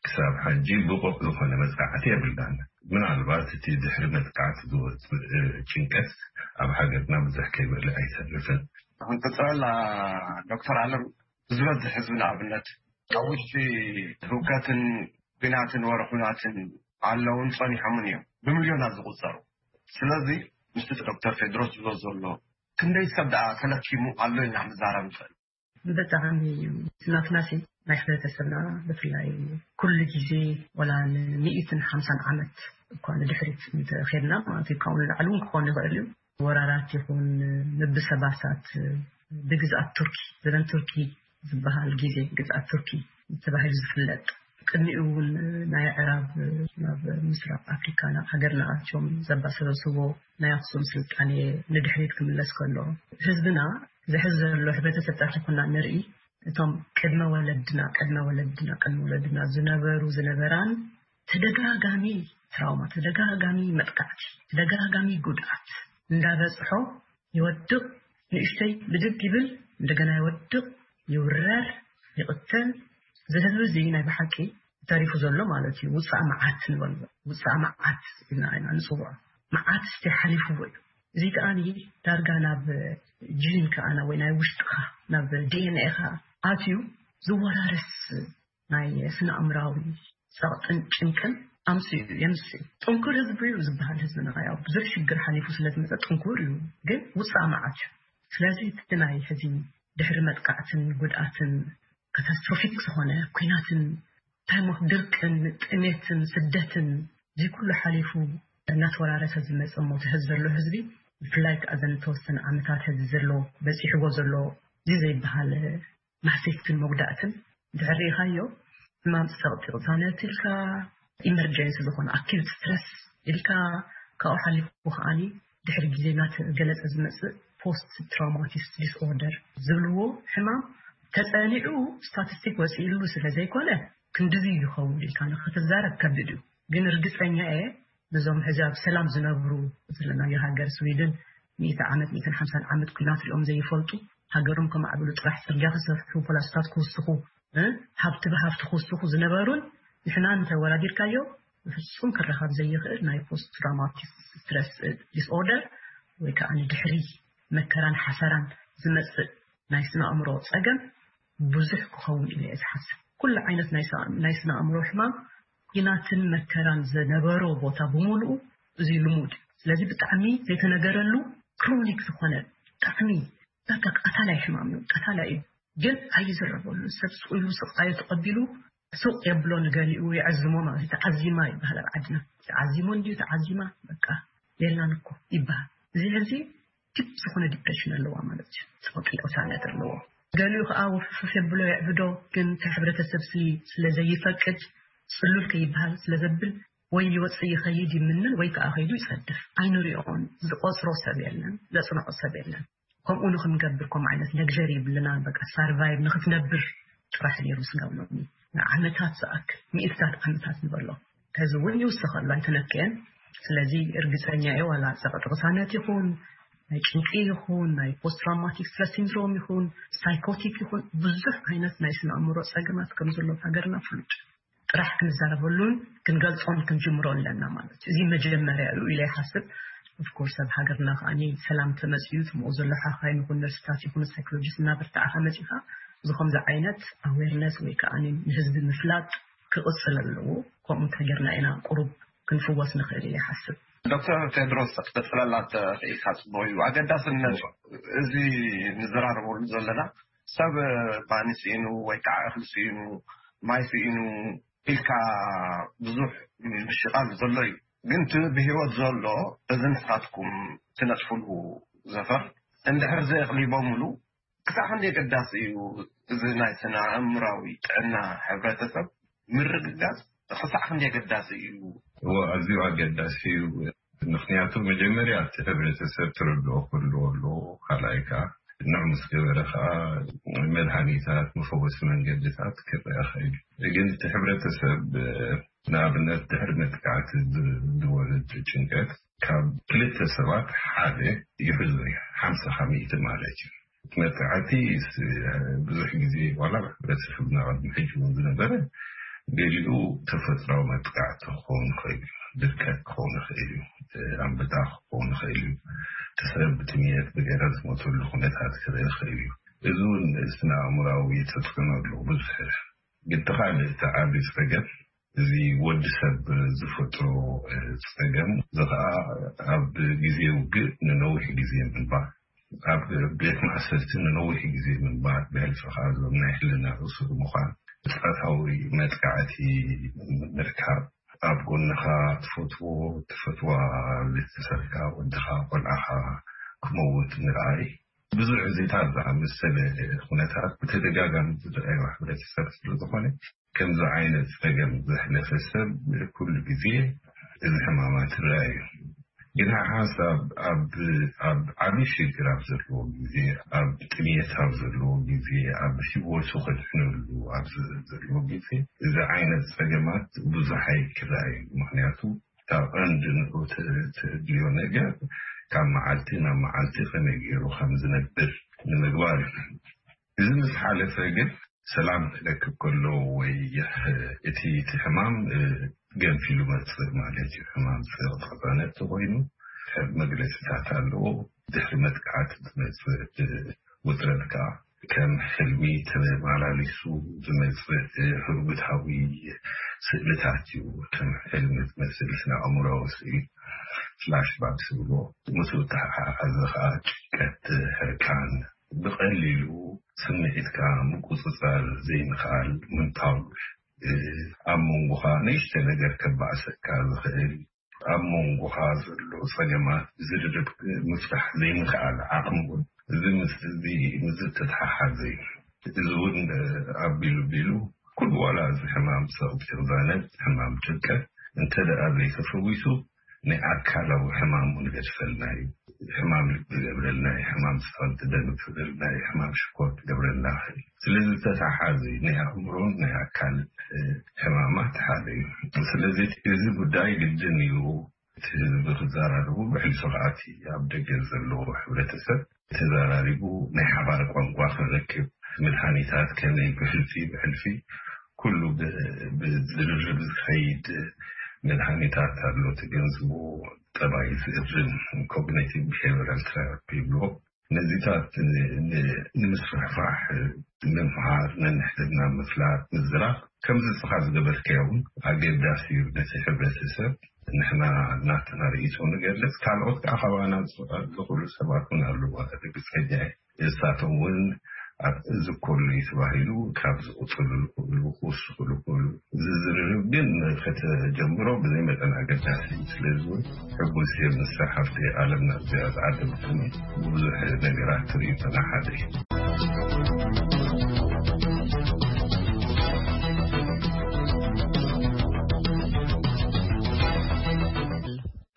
ክሳብ ሕጂ ብቑዕ ዝኾነ መጽናዕቲ የብልናን። ምናልባት እቲ ድሕሪ መጥቃዕቲ ዝወጽእ ጭንቀት ኣብ ሃገርና ብዙሕ ከይበለ ኣይተርፍን። ክንቅጽለላ ዶክተር ኣለም፣ ዝበዝሕ ህዝቢ ንኣብነት ኣብ ውሽጢ ህውከትን ኲናትን ወረ ኲናትን ኣለውን ጸኒሖምን እዮም ብሚልዮናት ዝቑጸሩ። ስለዚ ምስቲ ዶክተር ቴድሮስ ዝብሎ ዘሎ ክንደይ ሰብ ደኣ ተለኪሙ ኣሎ ኢልና ክንዛረብ ንኽእል። ብጣዕሚ እዩ ናትናሲ ናይ ሕብረተሰብና ብፍላይ ኩሉ ግዜ ወላ ንሚእትን ሓምሳን ዓመት እኳ ንድሕሪት እንተኸድና ማለት እዩ ካብኡ ንላዕሊ እውን ክኾን ይኽእል እዩ ወራራት ይኹን ምብሰባሳት ብግዝኣት ቱርኪ ዘበን ቱርኪ ዝበሃል ግዜ ግዝኣት ቱርኪ ተባሂሉ ዝፍለጥ ቅድሚኡ እውን ናይ ዕራብ ናብ ምስራቅ ኣፍሪካ ናብ ሃገርና ኣትዮም ዘባሰበስቦ ናይ ኣክሱም ስልጣኔ ንድሕሪት ክምለስ ከሎ ህዝብና ዝሕዝ ዘሎ ሕብረተሰብ ጥራሕ ይኮና ንርኢ እቶም ቅድመ ወለድና ቅድመ ወለድና ቅድመ ወለድና ዝነበሩ ዝነበራን ተደጋጋሚ ትራውማ ተደጋጋሚ መጥቃዕቲ ተደጋጋሚ ጉድኣት እንዳበፅሖ ይወድቕ ንእሽተይ ብድግ ይብል እንደገና ይወድቕ ይውረር ይቕተል እዚ ህዝቢ እዚ ናይ ብሓቂ ተሪፉ ዘሎ ማለት እዩ ውፃእ መዓት ንበሎ ውፃእ መዓት ኢልና ኢና ንፅውዖ መዓት እስቲ ሓሊፍዎ እዩ እዚ ከኣ ዳርጋ ናብ ጂን ከኣ ወይ ናይ ውሽጥኻ ናብ ዲኤንኤ ኻ ኣትዩ ዝወራረስ ናይ ስነ ኣእምራዊ ጸቕጥን ጭንቅን ኣምፅኡ የምፅኡ ጥንኩር ህዝቢ እዩ ዝበሃል ህዝብና ያው ብዙሕ ሽግር ሓሊፉ ስለዝመፀ ጥንኩር እዩ ግን ውፃእ መዓት እዩ ስለዚ እቲ ናይ ሕዚ ድሕሪ መጥቃዕትን ጉድኣትን ካታስትሮፊክ ዝኾነ ኲናትን ታይሞት ድርቅን ጥሜትን ስደትን እዚ ኩሉ ሓሊፉ እናተወራረሰ ዝመፀ ሞት ህዝቢ ዘሎ ህዝቢ ብፍላይ ከዓ ዘን ተወሰነ ዓመታት ህዚ ዘሎ በፂሕዎ ዘሎ እዚ ዘይበሃል ማህሰይትን መጉዳእትን ድሕር ርኢኻዮ ሕማም ፀቕጢ ቅሳነት ኢልካ ኢመርጀንሲ ዝኾነ ኣኪዩት ስትረስ ኢልካ ካብኡ ሓሊፉ ከዓኒ ድሕሪ ግዜ እናተገለፀ ዝመፅእ ፖስት ትራውማቲስ ዲስኦርደር ዝብልዎ ሕማም ተፀኒዑ ስታቲስቲክ ወፂእሉ ስለ ዘይኮነ ክንድዚ ይኸውን ኢልካ ንክትዛረብ ከቢድ እዩ ግን እርግፀኛ እየ ነዞም ሕዚ ኣብ ሰላም ዝነብሩ ዘለናዮ ሃገር ስዊድን ሚእቲ ዓመት ሚእትን ሓምሳን ዓመት ኲናት ሪኦም ዘይፈልጡ ሃገሮም ከማዕብሉ ጥራሕ ፅርግያ ክሰርሑ ፖላስታት ክውስኹ እ፣ ሃብቲ ብሃብቲ ክውስኹ ዝነበሩን ንሕና እንተወዳዲርካዮ ብፍፁም ክረኸብ ዘይኽእል ናይ ፖስት ትራውማቲክ ስትረስ ዲስኦርደር ወይ ከዓ ንድሕሪ መከራን ሓሰራን ዝመፅእ ናይ ስነ ኣእምሮ ፀገም ብዙሕ ክኸውን ኢለ እየ ዝሓስብ። ኩሉ ዓይነት ናይ ስነ ኣእምሮ ሕማም ኲናትን መከራን ዝነበሮ ቦታ ብምሉኡ እዚ ልሙድ እዩ። ስለዚ ብጣዕሚ ዘይተነገረሉ ክሮኒክ ዝኾነ ብጣዕሚ በቃ ቀታላይ ሕማም እዩ፣ ቀታላይ እዩ። ግን ኣይዝረበሉ። ሰብ ስቕ ኢሉ ስቓዩ ተቐቢሉ ስቕ የብሎ ንገሊኡ የዕዝሞ ማለት እዩ። ተዓዚማ ይበሃል ኣብ ዓድና። ተዓዚሙ እንድዩ ተዓዚማ በቃ የላን እኮ ይበሃል። እዚ ሕዚ ዲፕ ዝኾነ ዲፕሬሽን ኣለዋ ማለት እዩ። ጸቕጢ ቅሳነት ኣለዎ። ገሊኡ ከዓ ውፍፍፍ የብሎ የዕብዶ፣ ግን እቲ ሕብረተሰብ ሲ ስለ ዘይፈቅድ ጽሉል ከይበሃል ስለ ዘብል ወይ ይወፅእ ይኸይድ ይምንን ወይ ከዓ ከይዱ ይፀድፍ። ኣይንሪኦን። ዝቆፅሮ ሰብ የለን፣ ዘፅንዖ ሰብ የለን። ከምኡ ንክንገብር ከምኡ ዓይነት ለግዠሪ ይብልና በቃ ሳርቫይቭ ንክትነብር ጥራሕ ነይሩ ስጋብ ሎሚ ንዓመታት ዝኣክል ሚእትታት ዓመታት ንበሎ ሕዚ እውን ይውስኸሉ ኣይተነክአን ስለዚ እርግፀኛ እየ ዋላ ፀቕጢ ቅሳነት ይኹን ናይ ጭንቂ ይኹን ናይ ፖስት ትራውማቲክ ስትረስ ሲንድሮም ይኹን ሳይኮቲክ ይኹን ብዙሕ ዓይነት ናይ ስነ ኣእምሮ ፀገማት ከም ዘሎ ሃገርና ፍሉጥ ጥራሕ ክንዛረበሉን ክንገልፆን ክንጅምሮ ኣለና ማለት እዩ። እዚ መጀመርያ እዩ ኢለ ይሓስብ። ኦፍኮርስ ኣብ ሃገርና ከዓ ሰላም ተመፅኡ ትምኡ ዘሎ ሓኻይ ይኹን ነርስታት ይኹን ሳይኮሎጂስት እናበርታዕካ መፂኻ እዚ ከምዚ ዓይነት ኣዌርነስ ወይ ከዓ ንህዝቢ ምፍላጥ ክቕፅል ኣለዎ። ከምኡ እንተገርና ኢና ቁሩብ ክንፍወስ ንኽእል ኢለ ይሓስብ። ዶክተር ቴድሮስ ክትቅፅለላ ተኽኢልካ ፅቡቅ እዩ። ኣገዳስነት እዚ ንዘራረበሉ ዘለና ሰብ ማኒ ስኢኑ ወይ ከዓ እኽሊ ስኢኑ ማይ ስኢኑ ኢልካ ብዙሕ ምሽቃል ዘሎ እዩ። ግን እቲ ብህይወት ዘሎ እዚ ንስኻትኩም ትነጥፍሉ ዘፈር እንድሕር ዘየቕሊቦምሉ ክሳዕ ክንደይ ኣገዳሲ እዩ እዚ ናይ ስነ ኣእምራዊ ጥዕና ሕብረተሰብ ምርግጋፅ ክሳዕ ክንደይ ኣገዳሲ እዩ? እዎ ኣዝዩ ኣገዳሲ እዩ። ምኽንያቱ መጀመርያ እቲ ሕብረተሰብ ተረድኦ ክህልዎ ኣለዎ። ካልኣይ ከዓ ንዑ ምስ ገበረ ከዓ መድሃኒታት፣ መፈወሲ መንገድታት ክረአ ይኽእል እዩ። ግን እቲ ሕብረተሰብ ንኣብነት ድሕሪ መጥቃዕቲ ዝወርድ ጭንቀት ካብ ክልተ ሰባት ሓደ ይሕዞ እዩ። ሓምሳ ካብ ሚእቲ ማለት እዩ። መጥቃዕቲ ብዙሕ ግዜ ዋላ ሕብረተሰብና ቅድሚ ሕጂ እውን ዝነበረ ገሊኡ ተፈጥራዊ መጥቃዕቲ ክኸውን ይኽእል እዩ። ድርቀት ክኸውን ይኽእል እዩ። ኣንበጣ ክኸውን ይኽእል እዩ። እቲ ሰብ ብጥምየት ብገለ ዝሞተሉ ኩነታት ክረአ ይኽእል እዩ። እዚ እውን ስነ ኣእምራዊ ተፅዕኖ ኣለዎ ብዙሕ። ግን እቲ ካልእ እቲ ዓቢ ፀገም እዚ ወዲ ሰብ ዝፈጥሮ ፀገም እዚ ከዓ ኣብ ግዜ ውግእ ንነዊሕ ግዜ ምንባር፣ ኣብ ቤት ማእሰርቲ ንነዊሕ ግዜ ምንባር፣ ብሕልፊ ከዓ እዞም ናይ ሕልና እሱር ምዃን፣ ፃታዊ መጥቃዕቲ ምርካብ፣ ኣብ ጎንኻ ትፈትዎ ትፈትዋ ቤተሰብካ ወድኻ ቆልዓኻ ክመውት ምርኣይ ብዙሕ እዚታት ዝኣመሰለ ኩነታት ብተደጋጋሚ ዝረኣዩ ሕብረተሰብ ስለዝኾነ ከምዚ ዓይነት ጸገም ዘሕለፈ ሰብ ኩሉ ግዜ እዚ ሕማማት ይረኣዩ። ግን ሓንሳብ ኣብ ኣብ ዓቢ ሽግር ኣብ ዘለዎ ግዜ፣ ኣብ ጥሜት ኣብ ዘለዎ ግዜ፣ ኣብ ህይወቱ ከድሕነሉ ኣብ ዘለዎ ግዜ እዚ ዓይነት ጸገማት ብዙሕ ኣይክረኣዩ። ምክንያቱ ካብ ቀንዲ ንዑ ትድልዮ ነገር ካብ መዓልቲ ናብ መዓልቲ ከመይ ገይሩ ከም ዝነብር ንምግባር እዩ። እዚ ምስ ሓለፈ ግን ሰላም ክረክብ ከሎ ወይ እቲ እቲ ሕማም ገንፊሉ መፅእ ማለት እዩ። ሕማም ፅቕጥቕጣነት ተኮይኑ ሰብ መግለፅታት ኣለዎ። ድሕሪ መጥቃዕቲ ዝመፅእ ውጥረት ከዓ ከም ሕልሚ ተመላሊሱ ዝመፅእ ህርጉታዊ ስእልታት እዩ። ከም ሕልሚ ዝመስል ስነ ኣእምሮዊ ስእሊ ፍላሽባክ ዝብሎ፣ ምስኡ ተሓሓዘ ከዓ ጭንቀት፣ ሕርቃን፣ ብቐሊሉ ስምዒትካ ምቁፅፃር ዘይምኽኣል ምንታው፣ ኣብ መንጎኻ ንእሽተ ነገር ከባእሰካ ዝኽእል፣ ኣብ መንጎኻ ዘሎ ጸገማት ብዝርርብ ምፍታሕ ዘይምኽኣል ዓቕሚ እውን፣ እዚ ምስ እዚ ምስ ዝተተሓሓዘ እዩ። እዚ እውን ኣቢሉ ቢሉ ኩሉ ዋላ እዚ ሕማም ሰቕጢ ቅዛነት፣ ሕማም ጭንቀት እንተ ደኣ ዘይተፈዊሱ ናይ ኣካላዊ ሕማም እውን ይገድፈልና እዩ። ሕማም ልቢ ይገብረልና እዩ፣ ሕማም ስኽረት ደም ይገብረልና እዩ፣ ሕማም ሽኮር ይገብረልና ይኽእል። ስለዚ ተተሓሓዚ ናይ ኣእምሮን ናይ ኣካል ሕማማት ሓደ እዩ። ስለዚ እዚ ጉዳይ ግድን እዩ እቲ ህዝቢ ክዘራረቡ፣ ብሕልፊ ከኣ እቲ ኣብ ደገ ዘለዎ ሕብረተሰብ ተዘራሪቡ ናይ ሓባር ቋንቋ ክረክብ፣ መድሃኒታት ከመይ ብሕልፊ ብሕልፊ ኩሉ ብዝርርብ ዝኸይድ መድሃኒታት ኣሎ። ተገንዝቡ፣ ጠባይ ዝእርም ኮግኒቲቭ ቢሄቨራል ቴራፒ ይብልዎ። ነዚታት ንምስፍሕፋሕ፣ ምምሃር፣ ነንሕድና ምፍላጥ፣ ምዝራብ ከምዚ እስኻ ዝገበርካዮ እውን ኣገዳሲ እዩ። ነቲ ሕብረተሰብ ንሕና ናትና ርእይቶ ንገልጽ፣ ካልኦት ከዓ ካባና ዝኽእሉ ሰባት እውን ኣለዉ። ርግጸኛ እየ እሳቶም እውን ኣብ ዝኮሉ እዩ ተባሂሉ ካብ ዝቁፅሉ ዝኽእሉ ክውስኽሉ ይኽእሉ። እዚ ዝርርብ ግን ከተጀምሮ ብዘይ መጠን ኣገዳሲ እዩ። ስለዚ እውን ሕጉስ እየ ምስ ሓፍተይ ኣለምና እዚኣ ዝዓደምትኒ ብዙሕ ነገራት ትርእዩ ተናሓደ እዩ።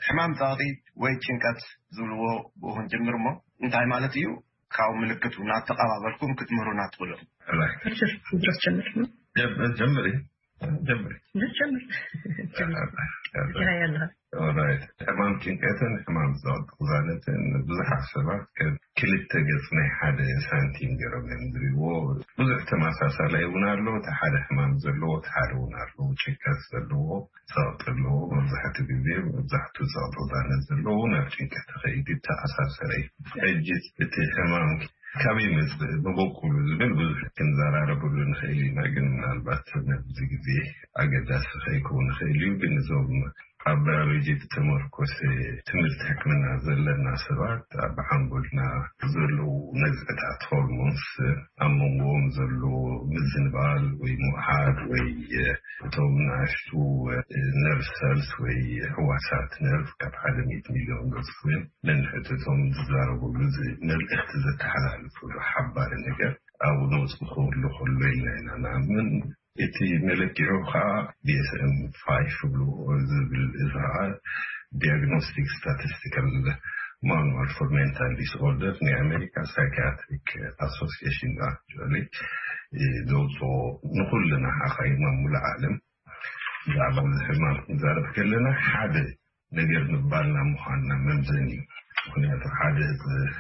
ሕማም ጸቕጢ ወይ ጭንቀት ዝብልዎ ብኡ ክንጅምር እሞ እንታይ ማለት እዩ? ካብ ምልክቱ እናተቐባበልኩም ክትምህሩና ትኽእሉ። ድረስ ጀምር ጀምሪ ጀምሪ ጀምር ጀምር ጀምር ያለህ ሕማም ጭንቀትን ሕማም ጸቕጢ ቅዛነትን ብዙሓት ሰባት ከም ክልተ ገጽ ናይ ሓደ ሳንቲም ገይሮም እዮም ዝሪእዎ። ብዙሕ ተመሳሳላይ እውን ኣሎ። እቲ ሓደ ሕማም ዘለዎ እቲ ሓደ እውን ኣሎ። ጭንቀት ዘለዎ ጸቕጢ ኣለዎ። መብዛሕትኡ ግዜ መብዛሕትኡ ጸቕጢ ቅዛነት ዘለዎ ናብ ጭንቀት ክኸይድ ይተኣሳሰር እዩ። ሕጂ እቲ ሕማም ካበይ መጽእ መበቁሉ ዝብል ብዙሕ ክንዘራረበሉ ንኽእል ኢና። ግን ምናልባት ነዚ ግዜ ኣገዳሲ ከይከውን ይኽእል እዩ። ግን እዞም ኣብ ባዮሎጂ ዝተመርኮሰ ትምህርቲ ሕክምና ዘለና ሰባት ኣብ ሓንጎልና ዘለዉ ነዝዕታት ሆርሞንስ ኣብ መንጎኦም ዘሎ ምዝንባል ወይ ምውሓድ ወይ እቶም ንኣሽቱ ነርቭ ሰልስ ወይ ሕዋሳት ነርቭ ካብ ሓደ ሚእቲ ሚልዮን በጽሑ እዮም ነንሕድሕዶም ዝዛረብሉ መልእኽቲ ዘተሓላልፍሉ ሓባሪ ነገር ኣብኡ ነውፅእ ክህሉ ከሎ ኢልና ኢና ንኣምን። እቲ መለኪዑ ከዓ ዲኤስኤም ፋይፍ ይብልዎ ዝብል እዚ ከዓ Diagnostic Statistical Manual for Mental Disorder ናይ ኣሜሪካ ሳይኪያትሪክ ኣሶሲሽን actually ዘውፅኦ ንኩልና ሓኻይም ኣብ ሙሉእ ዓለም ብዛዕባ እዚ ሕማም ክንዛረብ ከለና ሓደ ነገር ምባልና ምዃንና መምዘኒ እዩ። ምክንያቱ ሓደ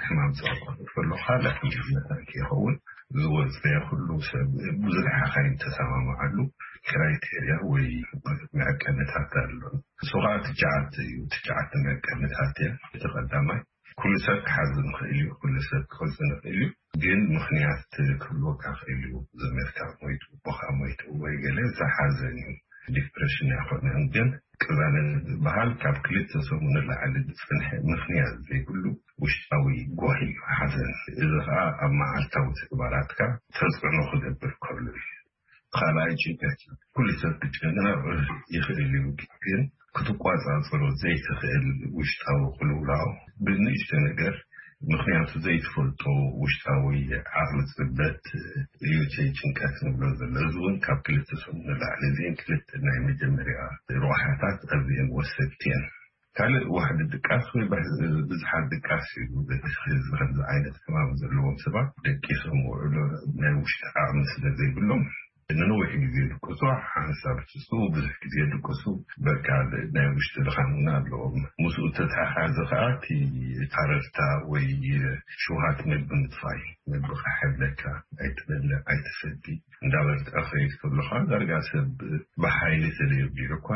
ሕማም ፀርቆ ከሎ ካልእ ሕማም መታኪ ይኸውን። ዝወፀ ኩሉ ሰብ ብዙሕ ሓኻይም ተሰማምዓሉ ክራይቴርያ ወይ መዐቀንታት ኣሎ። እሱ ከዓ ትሽዓተ እዩ። ትሽዓተ መዐቀንታት እያ። እቲ ቀዳማይ ኩሉ ሰብ ክሓዝን ይኽእል እዩ። ኩሉ ሰብ ክሕዝን ይኽእል እዩ። ግን ምኽንያት ክህልወካ ይኽእል እዩ። ዘመድካ ሞይቱ፣ ኣቦኻ ሞይቱ ወይ ገለ ዝሓዘን እዩ። ዲፕሬሽን ኣይኮነን። ግን ቅዛነት ዝበሃል ካብ ክልተ ሰሙን ንላዕሊ ዝፅንሐ ምኽንያት ዘይብሉ ውሽጣዊ ጓሂ እዩ ሓዘን። እዚ ከዓ ኣብ መዓልታዊ ተግባራትካ ተፅዕኖ ክገብር ከሎ እዩ። ካልኣይ ጭንቀት እዩ። ኩሉ ሰብ ክጨነቕ ይኽእል እዩ። ግን ክትቋፃፀሮ ዘይትኽእል ውሽጣዊ ቅልውላው ብንእሽቶ ነገር ምኽንያቱ ዘይትፈልጦ ውሽጣዊ ዓቕሊ ፅበት እዩ እቲ ጭንቀት ንብሎ ዘሎ። እዚ እውን ካብ ክልተ ሰሙን ንላዕሊ እዚአን ክልተ ናይ መጀመርያ ረብሓታት ኣዝየን ወሰድቲ እየን። ካልእ ዋሕዲ ድቃስ ወይ ብዝሓት ድቃስ እዩ። እዚ ከምዚ ዓይነት ሕማም ዘለዎም ሰባት ደቂሶም ውዕሎ ናይ ውሽጢ ዓቕሚ ስለ ዘይብሎም ንነዊሕ ግዜ ድቅሱ ሓንሳብ ትስኡ ብዙሕ ግዜ ድቅሱ በቃ ናይ ውሽጢ ድኻም እውን ኣለዎም። ምስኡ ተተሓሓዘ ከዓ እቲ ታረርታ ወይ ሽውሃት መግቢ ምጥፋይ፣ መግቢ ክሕብለካ ኣይትበልዕ ኣይትሰቲ እንዳበልዕ ከይድ ከሎ ከዓ ዳርጋ ሰብ ብሓይሊ ተደርዲሩ እኳ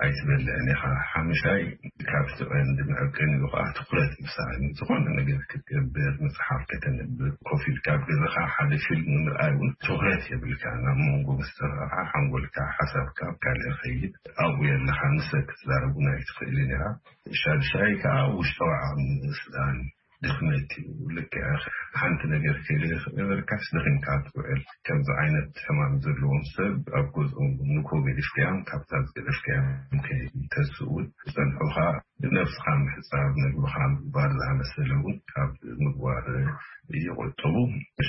ኣይትበልዕን ኢኻ። ሓምሻይ ካብቲ ቀንዲ መዐቀኒ ከዓ ትኩረት ምሳን ዝኾነ ነገር ክትገብር፣ መፅሓፍ ከተንብብ፣ ኮፍ ኢልካ ኣብ ገዛኻ ሓደ ፊልም ንምርኣይ እውን ትኩረት የብልካ። ናብ መንጎ ምስ ተረኻ ሓንጎልካ ሓሳብካ ኣብ ካልእ ይኸይድ። ኣብኡ የለኻ፣ ንሰብ ክትዛረብ እውን ኣይትኽእልን ኢኻ። ሻድሻይ ከዓ ውሽጣዊ ዓቕሚ ምስኣን ድኽመት እዩ። ልክዕ ሓንቲ ነገር ከይደገበርካስ ደኺምካ ትውዕል። ከምዚ ዓይነት ሕማም ዘለዎም ሰብ ኣብ ገዝኦም ንኮ ገዲፍካዮም ካብታ ዝገደፍካዮም ከይተስኡ እውን ዝፀንሑኻ ነብስኻ ምሕፃብ፣ ምግብኻ ምግባር ዝኣመሰለ እውን ካብ ምግባር ይቆጥቡ።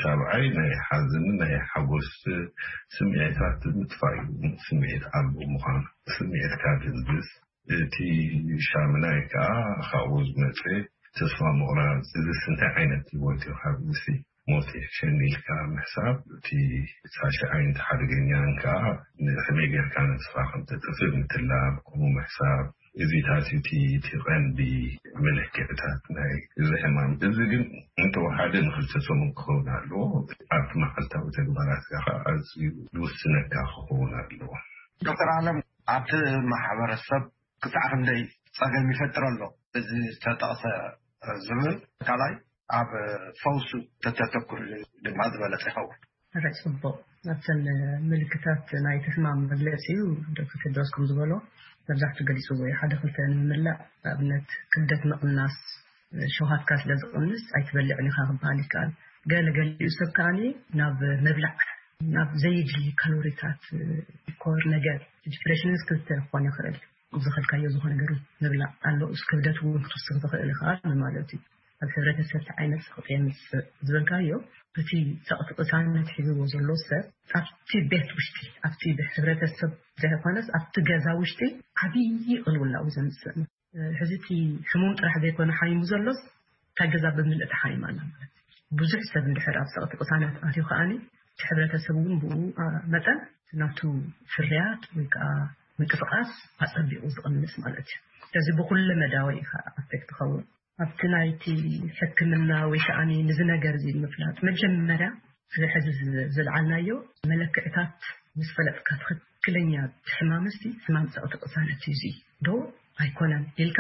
ሻብዓይ ናይ ሓዘንን ናይ ሓጎስ ስምዒታት ምጥፋእ እዩ። ስምዒት ኣልቦ ምዃን፣ ስምዒትካ ድንዝዝ። እቲ ሻምናይ ከዓ ካብኡ ዝመፀ ተስፋ ምቑራፅ። እዚስ እንታይ ዓይነት ህይወት እዩ? ካብ እዚ ሞት የሸኒ ኢልካ ምሕሳብ። እቲ ሳሽዓይ ሓደገኛን ከዓ ንሕመይ ጌርካ ነብስኻ ከም ተጥፍእ ምትላም፣ ከምኡ ምሕሳብ። እዚታት እቲ እቲ ቀንዲ መለክዕታት ናይ እዚ ሕማም። እዚ ግን እንተወሓደ ንክልተ ሰሙን ክኸውን ኣለዎ። ኣብቲ መዓልታዊ ተግባራትካ ከዓ ኣዝዩ ዝውስነካ ክኸውን ኣለዎ። ዶክተር ኣለም፣ ኣብቲ ማሕበረሰብ ክሳዕ ክንደይ ጸገም ይፈጥር ኣሎ እዚ ዝተጠቕሰ ዝብል ካልኣይ ኣብ ፈውሱ ተተተኩር ድማ ዝበለጸ ይኸውን። ርዕ ጽቡቕ። ኣብተን ምልክታት ናይቲ ሕማም መግለጺ እዩ ዶክተር ቴድሮስ ከም ዝበሎ መብዛሕቱ ገሊጽዎ እዩ። ሓደ ክልተ ንምምላእ ንኣብነት ክብደት ምቕናስ፣ ሸውሃትካ ስለ ዝቕንስ ኣይትበልዕን ኢኻ ክበሃል ይከኣል። ገለ ገሊኡ ሰብ ከኣኒ ናብ ምብላዕ ናብ ዘይድሊ ካሎሪታት ኮር ነገር ዲፕሬሽንስ ክልተ ክኾን ይኽእል። ዝኸልካዮ ዝኾነ ነገር ምብላዕ ኣሎ። እስ ክብደት እውን ክትውስኽ ትኽእል ኢኻ ማለት እዩ። ኣብ ሕብረተሰብ እንታይ ዓይነት ጸቕጢ የምጽእ ዝበልካዮ፣ እቲ ጸቕጢ ቅሳነት ሒዝዎ ዘሎ ሰብ ኣብቲ ቤት ውሽጢ፣ ኣብቲ ሕብረተሰብ ዘይኮነስ ኣብቲ ገዛ ውሽጢ ዓብዪ ቅልውላው ዘምጽእ ነው። ሕዚ እቲ ሕሙም ጥራሕ ዘይኮነ ሓይሙ ዘሎስ እታ ገዛ ብምልእ ተሓይማ ኣላ ማለት እዩ። ብዙሕ ሰብ እንድሕር ኣብ ጸቕጢ ቅሳነት ኣትዩ ከኣኒ እቲ ሕብረተሰብ እውን ብኡ መጠን ናቱ ፍርያት ወይ ከዓ ምንቅስቃስ ኣጸቢቑ ዝቕንስ ማለት እዩ። ስለዚ ብኩለ መዳወ ኢኻ ኣፌክት ትኸውን። ኣብቲ ናይቲ ሕክምና ወይ ከዓኒ ንዚ ነገር እዚ ምፍላጥ መጀመርያ እዚ ሕዚ ዝለዓልናዮ መለክዕታት ምስ ፈለጥካ ትኽክለኛ ሕማምሲ ሕማም ጸቕጢ ቅሳነት እዩ እዚ ዶ ኣይኮነን ኢልካ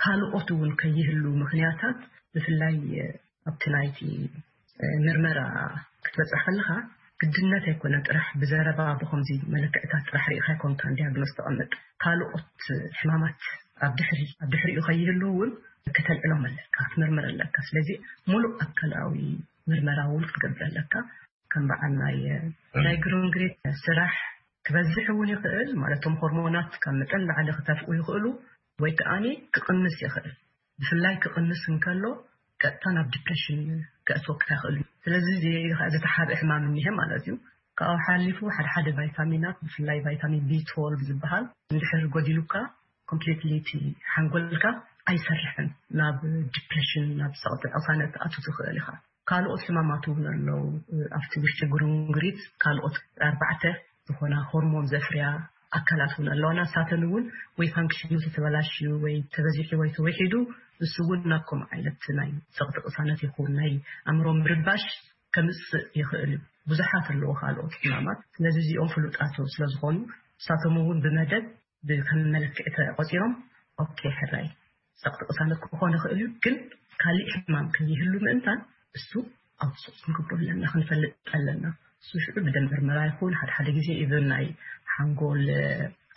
ካልኦት እውን ከይህሉ ምኽንያታት ብፍላይ ኣብቲ ናይቲ ምርመራ ክትበፅሕ ከለኻ ግድነት ኣይኮነ ጥራሕ ብዘረባ ብከምዚ መለክዕታት ጥራሕ ርኢኻ ኣይኮንካን ዲያግኖስ ተቐምጥ። ካልኦት ሕማማት ኣብ ድሕሪ ኣብ ድሕሪኡ ከይህሉ እውን ከተልዕሎም ኣለካ፣ ክትምርምር ኣለካ። ስለዚ ሙሉእ ኣካላዊ ምርመራ እውን ክትገብር ኣለካ። ከም በዓል ናይ ናይ ግሩንግሪት ስራሕ ክበዝሕ እውን ይኽእል ማለት እቶም ሆርሞናት ካብ መጠን ላዕሊ ክተፍኡ ይኽእሉ ወይ ከዓኒ ክቕንስ ይኽእል። ብፍላይ ክቕንስ እንከሎ ቀጥታ ናብ ዲፕሬሽን ከእትወካ ይኽእል እዩ። ስለዚ እዚ ከዓ ዝተሓብአ ሕማም እኒሀ ማለት እዩ። ካብኡ ሓሊፉ ሓደ ሓደ ቫይታሚናት ብፍላይ ቫይታሚን ቢ ትወልቭ ዝበሃል እንድሕር ጎዲሉካ ኮምፕሊትሊ እቲ ሓንጎልካ ኣይሰርሕን፣ ናብ ዲፕሬሽን፣ ናብ ጸቕጢ ቅሳነት ኣቱ ትኽእል ኢኻ። ካልኦት ሕማማት እውን ኣለዉ። ኣብቲ ውሽጢ ጉርንጉሪት ካልኦት ኣርባዕተ ዝኾና ሆርሞን ዘፍርያ ኣካላት እውን ኣለዋና። ንሳተን እውን ወይ ፋንክሽኑ ተተበላሽዩ ወይ ተበዚሑ ወይ ተወሒዱ፣ እሱ እውን ናብ ከምኡ ዓይነት ናይ ጸቕጢ ቅሳነት ይኹን ናይ ኣእምሮ ምርባሽ ከምጽእ ይኽእል እዩ። ብዙሓት ኣለዎ ካልኦት ሕማማት። ስለዚ እዚኦም ፍሉጣት ስለ ዝኾኑ ንሳቶም እውን ብመደብ ከም መለክዒ ተቆጺሮም፣ ኦኬ፣ ሕራይ ጸቕጢ ቅሳነት ክኾን ይኽእል እዩ፣ ግን ካሊእ ሕማም ከይህሉ ምእንታን እሱ ኣውትሶርስ ክንገብሮ ኣለና፣ ክንፈልጥ ኣለና። እሱ ሽዑ ብደም ምርመራ ይኹን፣ ሓደ ሓደ ግዜ ኢቨን ናይ ሓንጎል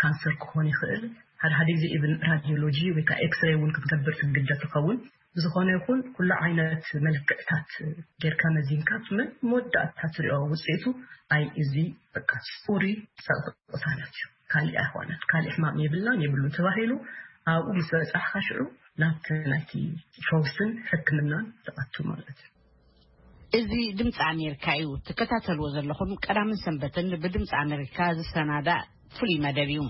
ካንሰር ክኾን ይኽእል፣ ሓደ ሓደ ግዜ ኢቨን ራዲዮሎጂ ወይ ከዓ ኤክስሬይ እውን ክትገብር ትግደድ ትኸውን። ብዝኾነ ይኹን ኩሉ ዓይነት መለክዕታት ጌርካ መዚንካ መወዳእታ ትሪኦ ውፅኢቱ ኣይ እዚ በቃ ጽሩይ ጸቕጢ ቅሳነት እዩ። ካሊእ ኣይኾነን። ካሊእ ሕማም የብልናን የብሉን ተባሂሉ ኣብኡ ምስ በጻሕካ ሽዑ ናብቲ ናይቲ ፈውስን ሕክምናን ትኣቱ ማለት እዩ። እዚ ድምፂ ኣሜሪካ እዩ ትከታተልዎ ዘለኹም። ቀዳምን ሰንበትን ብድምፂ ኣሜሪካ ዝሰናዳእ ፍሉይ መደብ እዩ።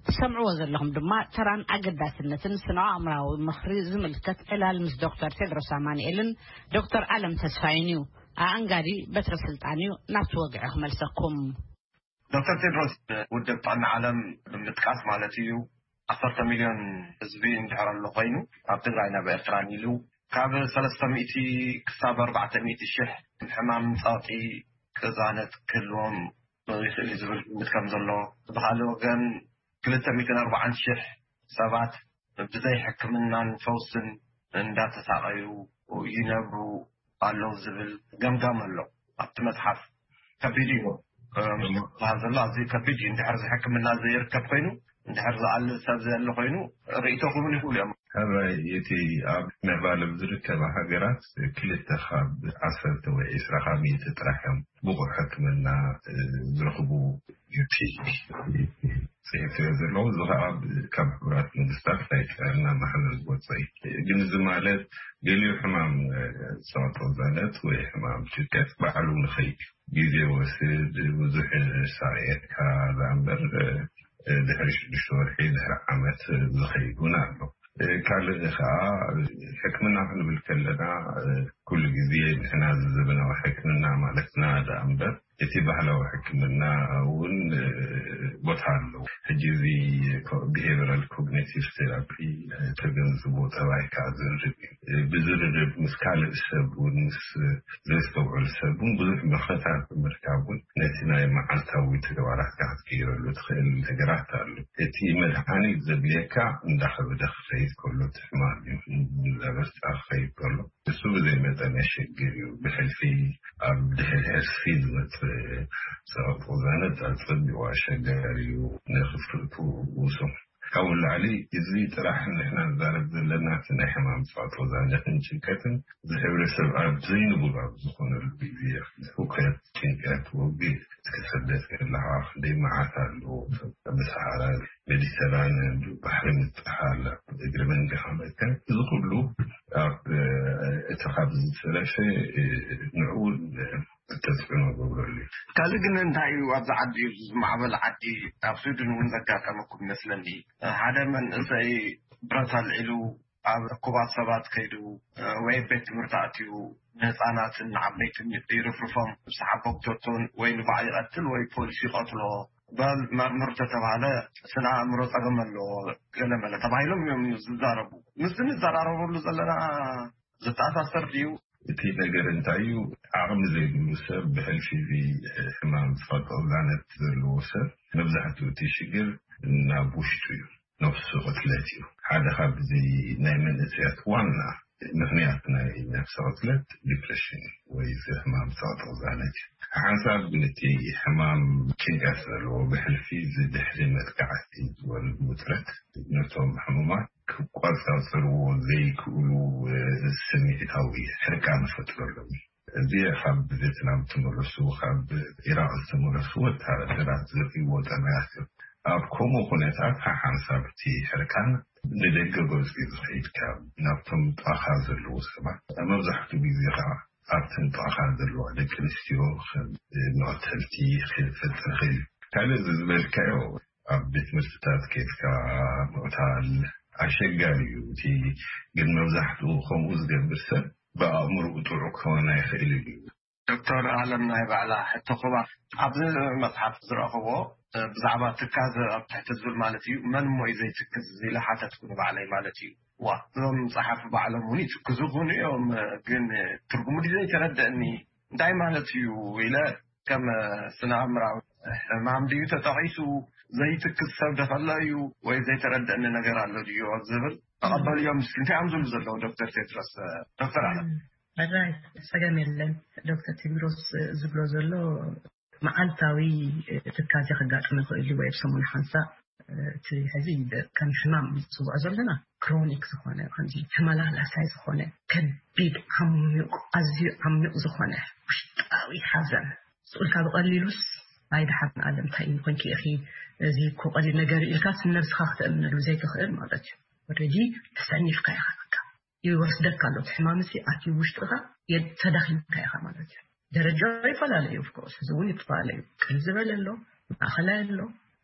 ትሰምዕዎ ዘለኹም ድማ ተራን ኣገዳስነትን ስነ ኣእምራዊ ምኽሪ ዝምልከት ዕላል ምስ ዶክተር ቴድሮስ ኣማንኤልን ዶክተር ኣለም ተስፋይን እዩ። ኣኣንጋዲ በትረ ስልጣን እዩ። ናብቲ ወግዒ ክመልሰኩም። ዶክተር ቴድሮስ፣ ውድብ ጥዕና ዓለም ብምጥቃስ ማለት እዩ፣ ዓሰርተ ሚልዮን ህዝቢ እንድሕር ኣሎ ኮይኑ፣ ኣብ ትግራይን ኣብ ኤርትራን ኢሉ ካብ ሰለስተ ሚእቲ ክሳብ ኣርባዕተ ሚእቲ ሽሕ ሕማም ጸቕጢ ቅዛነት ክህልዎም ይኽእል እዩ ዝብል ግምት ከም ዘሎ፣ ብኻልእ ወገን ክልተ ሚእትን ኣርባዓን ሽሕ ሰባት ብዘይ ሕክምናን ፈውስን እንዳተሳቐዩ ይነብሩ ኣለዉ ዝብል ገምጋም ኣሎ ኣብቲ መጽሓፍ። ከቢድ እዩ። እም፣ ዝበሃል ዘሎ ኣዝዩ ከቢድ እዩ። እንድሕር እዚ ሕክምና ዘይርከብ ኮይኑ፣ እንድሕር ዝኣልል ሰብ ዘየለ ኮይኑ፣ ርእይቶ ክህቡን ይኽእሉ እዮም። ሕራይ፣ እቲ ኣብ ምዕባለ ዝርከባ ሃገራት ክልተ ካብ ዓሰርተ ወይ ዕስራ ካብ ሚእቲ ጥራሕ እዮም ብቑዕ ሕክምና፣ እ፣ ዝረኽቡ። እቲ ጽሒፈዮ ዘለኹ፣ እዚ ኸኣ ካብ ሕቡራት መንግስታት ናይ ጥዕና ማሕበር ዝወጸ እዩ። ግን እዚ ማለት ገሊኡ ሕማም፣ እ፣ ጸቕጢ ቅዛነት ወይ ሕማም ጭንቀት ባዕሉ ንኸይድ ግዜ ወስድ፣ ብዙሕ ሳቕየካ ዝኣምበር፣ እ፣ ድሕሪ ሽዱሽተ ወርሒ፣ ድሕሪ ዓመት ዝኸይድ እውን ኣሎ። እ፣ ካልእ ኸኣ ሕክምና ክንብል ከለና፣ እ፣ ኩሉ ግዜ ንሕና እዚ ዘበናዊ ሕክምና ማለትና ደኣ እምበር፣ እቲ ባህላዊ ሕክምና እውን፣ እ፣ ቦታ ኣለዎ። ሕጂ እዚ ኮ-፣ ቢሄቨራል ኮግኒቲቭ ቴራፒ፣ እ፣ ተገንዝቦ ጠባይካ ዝርርብ እዩ። እ፣ ብዝርርብ ምስ ካልእ ሰብ እውን፣ ምስ ዘስተውዕል ሰብ እውን ብዙሕ ምኽርታት ብምርካብ እውን ነቲ ናይ መዓልታዊ ተግባራትካ ክትቅይረሉ ትኽእል ነገራት ኣሎ። እቲ መድሃኒት ዘድልየካ እንዳኸበደ ክኸይድ ከሎ እቲ ሕማም እዩ፣ እንዳበርታ ክኸይድ ከሎ እሱ ብዘይ መጠን የሸግር እዩ። ብሕልፊ ኣብ ድሕሪ ሕልፊ ዝመጽእ ጸቕጢ ቅዛነት ኣጸቢቑ ኣሸጋሪ እዩ። ንኽፍልጡ ውሱን። ካብኡ ንላዕሊ እዚ ጥራሕ ንሕና ንዛረብ ዘለና እቲ ናይ ሕማም ጸቕጢ ቅዛነትን ጭንቀትን እዚ ሕብረተሰብ ኣብ ዘይንቡር ኣብ ዝኾነሉ ግዜ፣ ህውከት፣ ጭንቀት፣ ወግእ፣ ክትሰደድ ከለኻ ክንደይ መዓት ኣለዎ። ኣብ ሰሃራ ሜዲተራንያን ባሕሪ ምጥሓል፣ ኣብ እግሪ መንገኻ ምእካብ፣ እዚ ኩሉ ኣብ እቲ ካብ ዝተረፈ ንዕኡ ተጽዕኖ ገብረሉ እዩ። ካልእ ግን እንታይ እዩ፣ ኣብዚ ዓዲ፣ እዚ ዝማዕበለ ዓዲ፣ ኣብ ስዊድን እውን ዘጋጠመኩም ይመስለኒ። ሓደ መንእሰይ ብረት ኣልዒሉ ኣብ እኩባት ሰባት ከይዱ ወይ ቤት ትምህርቲ ኣትዩ ንህፃናትን ንዓበይትን ይርፍርፎም፣ ንሰሓቦም ቶቶን ወይ ንባዕ ይቐትል ወይ ፖሊስ ይቐትሎ። በል መርምር ተተባሃለ ስነ ኣእምሮ ጸገም ኣለዎ ገለ መለ ተባሂሎም እዮም ዝዛረቡ። ምስዚ ንዘራረበሉ ዘለና ዝተኣሳሰር ድዩ? እቲ ነገር እንታይ እዩ? ዓቕሚ ዘይብሉ ሰብ ብሕልፊ እዚ ሕማም ጸቕጢ ቅዛነት ዘለዎ ሰብ መብዛሕትኡ እቲ ሽግር ናብ ውሽጡ እዩ። ነፍሲ ቅትለት እዩ። ሓደ ካብ እዚ ናይ መንእሰያት ዋና ምኽንያት ናይ ነፍሲ ቅትለት ዲፕሬሽን ወይ እዚ ሕማም ጸቕጢ ቅዛነት እዩ። ሓንሳብ ግን እቲ ሕማም ጭንቀት ዘለዎ ብሕልፊ እዚ ድሕሪ መጥቃዕቲ ዝወርድ ውጥረት ነቶም ሕሙማት ክቆጻጸርዎ ዘይክእሉ ስምዒታዊ ሕርቃን ይፈጥረሎም እዩ። እዚ ካብ ቤትናም ዝተመለሱ፣ ካብ ኢራቕ ዝተመለሱ ወተሃደራት ዘርእይዎ ጠባያት እዮም። ኣብ ከምኡ ኩነታት ሓሓንሳብ እቲ ሕርቃን ንደገ ገጹ እዩ ዝኸይድ። ካብ ናብቶም ጥቓኻ ዘለዉ ሰባት መብዛሕትኡ ግዜ ኸዓ ኣብተን ጥቓኻ ዘለዋ ደቂ ኣንስትዮ ከም መቐተልቲ ክፈጥር ይኽእል እዩ። ካልእ እዚ ዝበልካዮ ኣብ ቤት ትምህርትታት ኬድካ ምቕታል ኣሸጋሪ እዩ። እቲ ግን መብዛሕትኡ ከምኡ ዝገብር ሰብ ብኣእምሮኡ ጥዑይ ክኸውን ኣይኽእልን እዩ። ዶክተር ኣለም፣ ናይ ባዕላ ሕቶ ክባ ኣብዚ መፅሓፍ ዝረኸቦ ብዛዕባ ትካዘ ኣብ ትሕቲ ዝብል ማለት እዩ፣ መን እሞ እዩ ዘይትክዝ ኢለ ሓተትኩ ንባዕለይ ማለት እዩ። ዋ፣ እዞም ጸሓፊ ባዕሎም እውን ይትክዙ ክኾኑ እዮም፣ ግን ትርጉሙ ድዩ ዘይተረደእኒ፣ እንታይ ማለት እዩ ኢለ፣ ከም ስነ ኣእምራዊ ሕማም ድዩ ተጠቒሱ፣ ዘይትክዝ ሰብ ደኸሎ እዩ፣ ወይ ዘይተረደእኒ ነገር ኣሎ ድዩ ዝብል ተቐበልዮም እስኪ። እንታይ እዮም ዝብሉ ዘለዉ ዶክተር ቴድሮስ? ዶክተር ኣለም። ራይ፣ ጸገም የለን። ዶክተር ቴድሮስ ዝብሎ ዘሎ መዓልታዊ ትካዜ ከጋጥም ይኽእል እዩ፣ ወይ ኣብ ሰሙን ሓንሳእ። እቲ ሕዚ ከም ሕማም ዝፅውዖ ዘለና ክሮኒክ ዝኾነ፣ ከምዚ ተመላላሳይ ዝኾነ ከቢድ ዓሚቕ፣ ኣዝዩ ዓሚቕ ዝኾነ ውሽጣዊ ሓዘን፣ ስኡልካ ብቐሊሉስ፣ ኣይ ደሓን ኣለም እንታይ እዩ ኮንኪ ኢኺ፣ እዚ እኮ ቀሊል ነገር እዩ ኢልካ ስም ነብስኻ ክተእምነሉ ዘይትኽእል ማለት እዩ። ኦልሬዲ ተሰኒፍካ ኢኻ፣ በቃ ይወስደካ ኣሎ። እቲ ሕማም እዚ ኣትዩ ውሽጥኻ፣ የ- ተዳኺምካ ኢኻ ማለት እዩ። ደረጃ ይፈላለ እዩ፣ ኦፍኮርስ፣ እዚ እውን ይፈላለ እዩ። ቅል ዝበለ ኣሎ፣ ማእኸላይ ኣሎ፣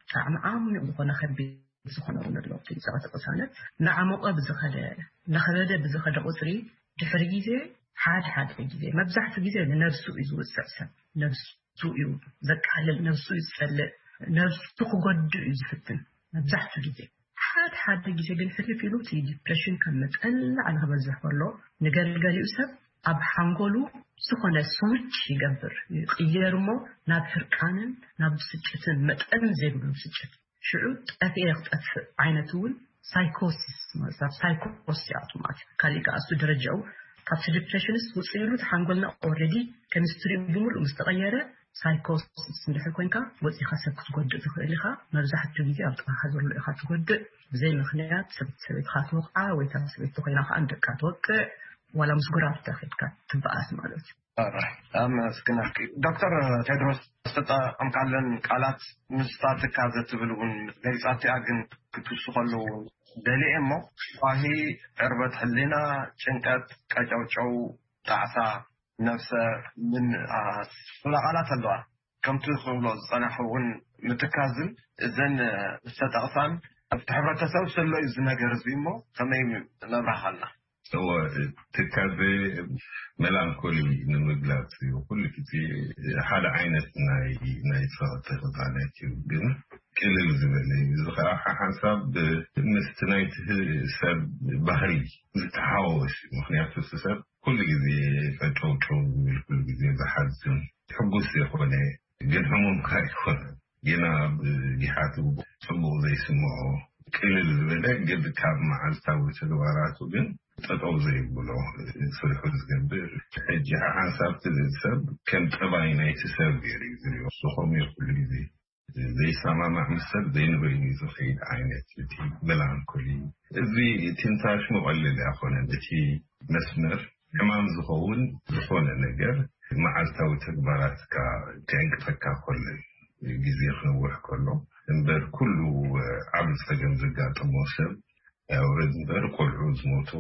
ብጣዕሚ ዓሚቕ ዝኾነ ከቢድ ዝኾነ እውን ኣሎ። እቲ ጸቕጢ ቅሳነት እናዓሞቐ ብዝኸደ፣ እናኸበደ ብዝኸደ ቁፅሪ፣ ድሕሪ ግዜ፣ ሓደ ሓደ ግዜ፣ መብዛሕትኡ ግዜ ንነብሱ እዩ ዝውፅዕ ሰብ። ነብሱ እዩ ዘቃልል፣ ነብሱ እዩ ዝጸልእ፣ ነብሱ ክጎድእ እዩ ዝፍትን መብዛሕትኡ ግዜ። ሓደ ሓደ ግዜ ግን ሕልፍ ኢሉ እቲ ዲፕሬሽን ካብ መጠን ንላዕሊ ክበዝሕ ከሎ፣ ንገልገሊኡ ሰብ ኣብ ሓንጎሉ ዝኾነ ስዊች ይገብር፣ ይቕየር እሞ ናብ ሕርቃንን ናብ ብስጭትን፣ መጠን ዘይብሉ ብስጭት፣ ሽዑ ጠፊኤ ክጠፍእ ዓይነት እውን ሳይኮሲስ ማለት፣ ኣብ ሳይኮስ ይኣቱ ማለት እዩ። ካሊእ ከኣ እሱ ደረጃኡ ካብቲ ዲፕሬሽንስ ውፅእ ኢሉ፣ እቲ ሓንጎልና ኦልሬዲ ኬሚስትሪኡ ብምሉእ ምስ ተቐየረ፣ ሳይኮሲስ እንድሕር ኮንካ፣ ወፂኻ ሰብ ክትጎድእ ትኽእል ኢኻ። መብዛሕትኡ ግዜ ኣብ ጥቓኻ ዘሎ ኢኻ ትጎድእ። ብዘይ ምኽንያት ሰብ-፣ ሰበይትኻ ትወቕዓ፣ ወይ እታ ሰበይቲ ኮይና ከኣ ንደቃ ትወቅዕ፣ ዋላ ምስ ጎራብታ ኬድካ ትበኣስ ማለት እዩ። ኣመስግናኪ። ዶክተር ቴድሮስ፣ ዝተጠቐምካለን ቃላት ምስታ ትካዘ ትብል እውን ገሊጻትያ፣ ግን ክትውስኸሉ ደልየ እሞ፣ ኳሂ፣ ዕርበት ሕሊና፣ ጭንቀት፣ ቀጨውጨው፣ ጣዕሳ፣ ነብሰ ምን፣ አ፣ ስለ ቃላት ኣለዋ። ከምቲ ክብሎ ዝጸናሑ እውን ምትካዝን እዘን ዝተጠቕሳን ኣብቲ ሕብረተሰብ ዘሎ እዩ እዚ ነገር እዚ እሞ ከመይ ነብራሃልና? እወ፣ ትካዘ መላንኮሊ ንምግላጽ እዩ። ኩሉ ግዜ ሓደ ዓይነት ናይ፣ ናይ ጸቕጢ ቅሳነት እዩ፣ ግን ቅልል ዝበለ እዩ። እዚ ኸዓ ሓንሳብ ምስቲ ናይቲ ሰብ ባህሪ ዝተሓዋወስ እዩ። ምኽንያቱ እቲ ሰብ ኩሉ ግዜ ቀጨውጨው ዝብል፣ ኩሉ ግዜ ዝሓዝን፣ ሕጉስ ዘይኮነ፣ ግን ሕሙም ከኣ ኣይኮነን። ጌና ብጊሓቱ ጽቡቕ ዘይስምዖ፣ ቅልል ዝበለ፣ ግን ካብ መዓልታዊ ተግባራቱ ግን ጠጠው ዘይብሎ፣ ስርሑ ዝገብር። ሕጂ ሓንሳብ እቲ ሰብ ከም ጠባይ ናይቲ ሰብ ገይሩ እዩ ዝሪኦ። ንሱ ከምኡ እዩ ኩሉ ግዜ። ዘይሰማማዕ ምስ ሰብ ዘይንበይኑ እዩ ዝኸይድ ዓይነት እቲ ሜላንኮሊ። እዚ ትንፋሽ መቐለሊ ኣይኮነን። እቲ መስመር ሕማም ዝኸውን ዝኾነ ነገር መዓልታዊ ተግባራትካ ከዕንቅፈካ ከሎ፣ ግዜ ክነውሕ ከሎ፣ እምበር ኩሉ ዓቢ ጸገም ዘጋጠሞ ሰብ፣ ኣውረድ እምበር፣ ቆልዑ ዝሞቱ፣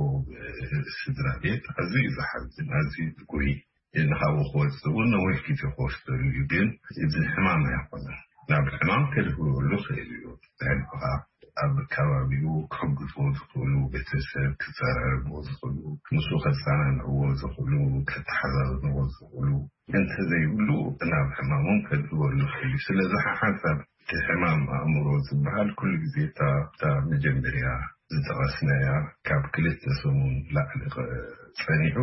ስድራ ቤት፣ ኣዝዩ እዩ ዝሓዝን፣ ኣዝዩ እዩ ዝጉሂ። ንኻብኡ ክወጽእ እውን ነዊሕ ግዜ ክወስደሉ እዩ፣ ግን እዚ ሕማም ኣይኮነን። ናብ ሕማም ከድህበሉ ይኽእል እዩ። ናይ ልብኻ ኣብ ከባቢኡ ክሕግዝዎ ዝኽእሉ ቤተሰብ፣ ክጸራረብዎ ዝኽእሉ፣ ምስኡ ከጸናንዕዎ ዝኽእሉ፣ ከተሓዛዝንዎ ዝኽእሉ እንተዘይብሉ፣ ናብ ሕማም እውን ከድህበሉ ይኽእል እዩ። ስለዚ ሓንሳብ እቲ ሕማም ኣእምሮ ዝበሃል ኩሉ ግዜ እታ፣ እታ መጀመርያ ዝጠቐስናያ ካብ ክልተ ሰሙን ላዕሊ ኸ-፣ ጸኒሑ፣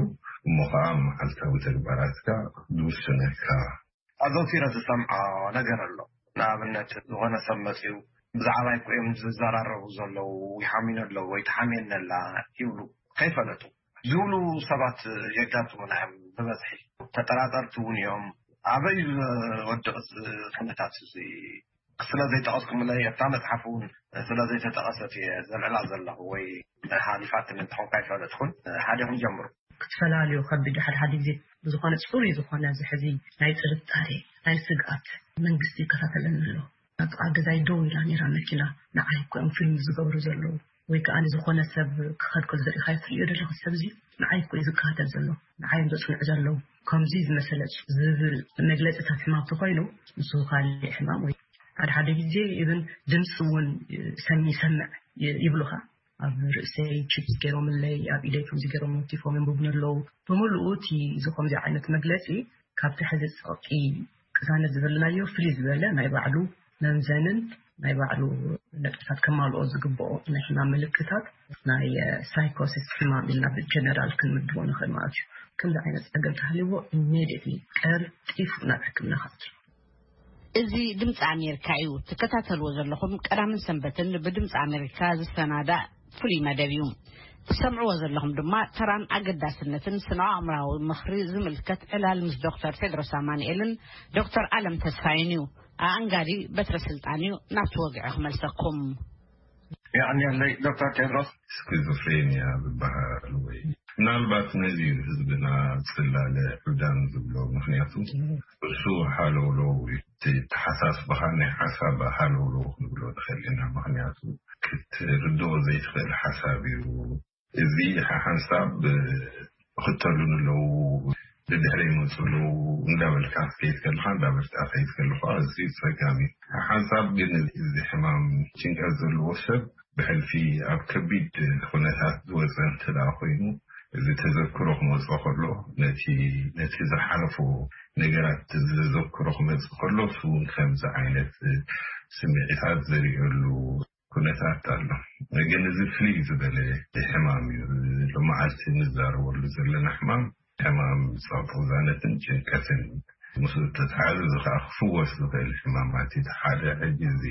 እሞ ኸዓ መዓልታዊ ተግባራትካ ዝውስነልካ። ኣዘውቲረ ዝሰምዖ ነገር ኣሎ። ንኣብነት፣ ዝኾነ ሰብ መጺኡ፣ "ብዛዕባይ እኮ እዮም ዝዘራረቡ ዘለዉ፣ ይሓምዩኒ ኣለዉ ወይ ትሓምየኒ ኣላ" ይብሉ። ከይፈለጡ ዝብሉ ሰባት የጋጥሙና እዮም ብበዝሒ። ተጠራጠርቲ እውን እዮም። ኣበይ ዝወድቕ እዚ ኩነታት እዚ? ስለ ዘይጠቐስኩምለይ፣ ኣብታ መጽሓፍ እውን ስለ ዘይተጠቐሰት እየ ዘልዕላ ዘለኹ፣ ወይ ሓሊፋትኒ እንተኾንካ ኣይፈለጥኩን። ሓዲኹም ጀምሩ። ክትፈላልዮ ከቢድ፣ ሓደ ሓደ ግዜ ብዝኾነ ጽሩይ ዝኾነ፣ እዚ ሕዚ ናይ ጥርጣሬ፣ ናይ ስግኣት፣ መንግስቲ ይከታተለኒ ኣሎ፣ ኣብ ጥቓ ገዛይ ደው ኢላ ነይራ መኪና፣ ንዓይ እኮ እዮም ፊልም ዝገብሩ ዘለዉ፣ ወይ ከኣ ዝኾነ ሰብ ክኸድ ከሎ ዝርኢኻ ትርእዮ ዘለኻ፣ ሰብ እዚ ንዓይ እኮ እዩ ዝከታተል ዘሎ፣ ንዓይ እዮም ዘጽንዑ ዘለዉ፣ ከምዚ ዝመሰለ ዝብል መግለጺታት ሕማም ተኾይኑ፣ ንሱ ካልእ ሕማም ወይ ሓደ ሓደ ግዜ ኢብን ድምፂ እውን ሰሚ ይሰምዕ ይብሉኻ። ኣብ ርእሰይ ቺፕስ ገይሮምለይ፣ ኣብ ኢደይ ከምዚ ገይሮም ወቲፎም የንብቡኒ ኣለዉ። ብምልኡ እቲ እዚ ከምዚ ዓይነት መግለፂ ካብቲ ሕዚ ፀቕጢ ቅሳነት ዝበልናዮ ፍልይ ዝበለ ናይ ባዕሉ መምዘንን ናይ ባዕሉ ነጥብታት ከማልኦ ዝግብኦ ናይ ሕማም ምልክታት ናይ ሳይኮሲስ ሕማም ኢልና ብጀነራል ክንምድቦ ንኽእል ማለት እዩ። ከምዚ ዓይነት ፀገም ተሃልዎ ኢሜዲየትሊ ቀልጢፉ ናብ ሕክምና ክኣቱ። እዚ ድምፂ ኣሜሪካ እዩ። ትከታተልዎ ዘለኹም ቀዳምን ሰንበትን ብድምፂ ኣሜሪካ ዝሰናዳእ ፍሉይ መደብ እዩ። ትሰምዕዎ ዘለኹም ድማ ተራን ኣገዳስነትን ስነ ኣእምራዊ ምኽሪ ዝምልከት ዕላል ምስ ዶክተር ቴድሮስ ኣማንኤልን ዶክተር ኣለም ተስፋይን እዩ። ኣኣንጋዲ በትረ ስልጣን እዩ። ናብቲ ወግዒ ክመልሰኩም። የቐንየለይ ዶክተር ቴድሮስ። ስኪዞፍሬንያ ዝበሃል ወይ ምናልባት ነዚ እዩ ህዝብና ጽላለ ዕብዳን ዝብሎ። ምኽንያቱ እሱ ሃለውለው እዩ። እቲ ተሓሳስብኻ ናይ ሓሳብ ሃለውለው ክንብሎ ንኽእል ኢና። ምኽንያቱ ክትርድኦ ዘይትኽእል ሓሳብ እዩ። እዚ ሓሓንሳብ ክተሉን ኣለዉ። ድድሕረ ይመፁ ኣለዉ እንዳበልካ ክትከይድ ከለካ እንዳበልካ ከይድ ከለካ እዚ ፀጋም እዩ። ሓሓንሳብ ግን እዚ ሕማም ጭንቀት ዘለዎ ሰብ ብሕልፊ ኣብ ከቢድ ኩነታት ዝወፀ እንተ ደኣ ኮይኑ፣ እዚ ተዘክሮ ክመፅኦ ከሎ ነቲ ነቲ ዝሓለፎ ነገራት ተዘክሮ ክመፅእ ከሎ እሱ እውን ከምዚ ዓይነት ስምዒታት ዘርእየሉ ኩነታት ኣሎ። ግን እዚ ፍልይ ዝበለ ሕማም እዩ። ሎመዓልቲ ንዛረበሉ ዘለና ሕማም ሕማም ጸቕጥዛነትን ጭንቀትን ምስኡ ተተሓዘ እዚ ከዓ ክፍወስ ዝኽእል ሕማማት እዩ። ሓደ ሕጂ እዚ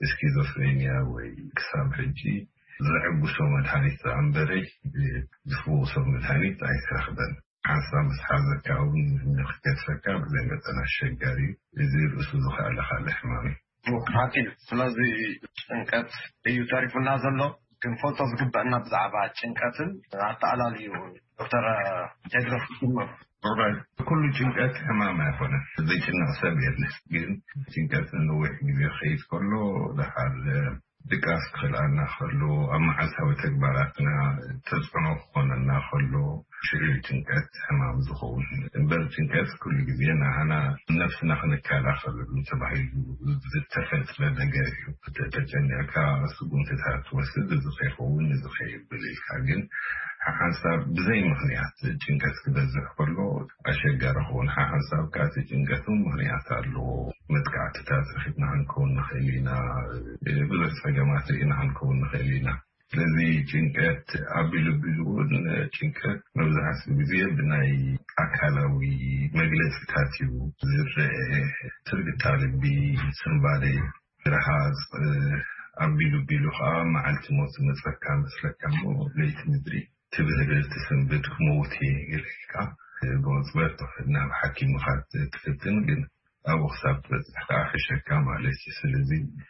ስኪዞፍሬንያ ወይ ክሳብ ሕጂ ዘዕግሶ መድሃኒት ዝኣንበረ ዝፍውሶ መድሃኒት ኣይተረኽበን። ሓንሳብ ምስ ሓዘካ እውን ንክገድፈካ ብዘይ መጠን ኣሸጋሪ እዩ። እዚ ርእሱ ዝኸኣለ ካልእ ሕማም እዩ። ሓቂ እዩ። ስለዚ ጭንቀት እዩ ተሪፉና ዘሎ። ክንፈልጦ ዝግበአና ብዛዕባ ጭንቀትን ኣተኣላልዩ ዶክተር ቴድሮስ ይጅምር። ኩሉ ጭንቀት ሕማም ኣይኮነን። ዘይጭነቕ ሰብ የለን። ግን ጭንቀት ንነዊሕ ግዜ ክኸይድ ከሎ ደሓር ድቃስ ክኽልኣና ከሎ፣ ኣብ መዓልታዊ ተግባራትና ተጽዕኖ ክኾነና ከሎ ሽዑ ጭንቀት ሕማም ዝኸውን። እምበር ጭንቀት ኩሉ ግዜ ንዓና ነብስና ክንከላኸለሉ ተባሂሉ ዝተፈጥረ ነገር እዩ። ተጨኒቕካ ስጉምትታት ትወስድ፣ እዚ ከይኸውን እዚ ከይብል ኢልካ። ግን ሓሓንሳብ ብዘይ ምኽንያት ጭንቀት ክበዝሕ ከሎ ኣሸጋሪ ክኸውን። ሓሓንሳብ ከኣ እቲ ጭንቀት እውን ምኽንያት ኣለዎ። መጥቃዕትታት ረኺብና ክንከውን ንኽእል ኢና። ብዙሕ ጸገማት ርኢና ክንከውን ንኽእል ኢና። ስለዚ ጭንቀት ኣቢሉ ኣቢሉ እውን ጭንቀት መብዛሕትኡ ግዜ ብናይ ኣካላዊ መግለጽታት እዩ ዝረአ። ትርግታ ልቢ፣ ስንባደ፣ ርሃጽ፣ ኣቢሉ ኣቢሉ ከዓ መዓልቲ ሞት ዝመጸካ መስለካ እሞ ለይቲ ምድሪ ትብህል ትስንብድ ክመውት እየ ኢልካ ብቕጽበት ናብ ሓኪምኻ ትፍትን ግን ኣብኡ ክሳብ ትበፅሕ ከዓ ሕሸካ ማለት እዩ። ስለዚ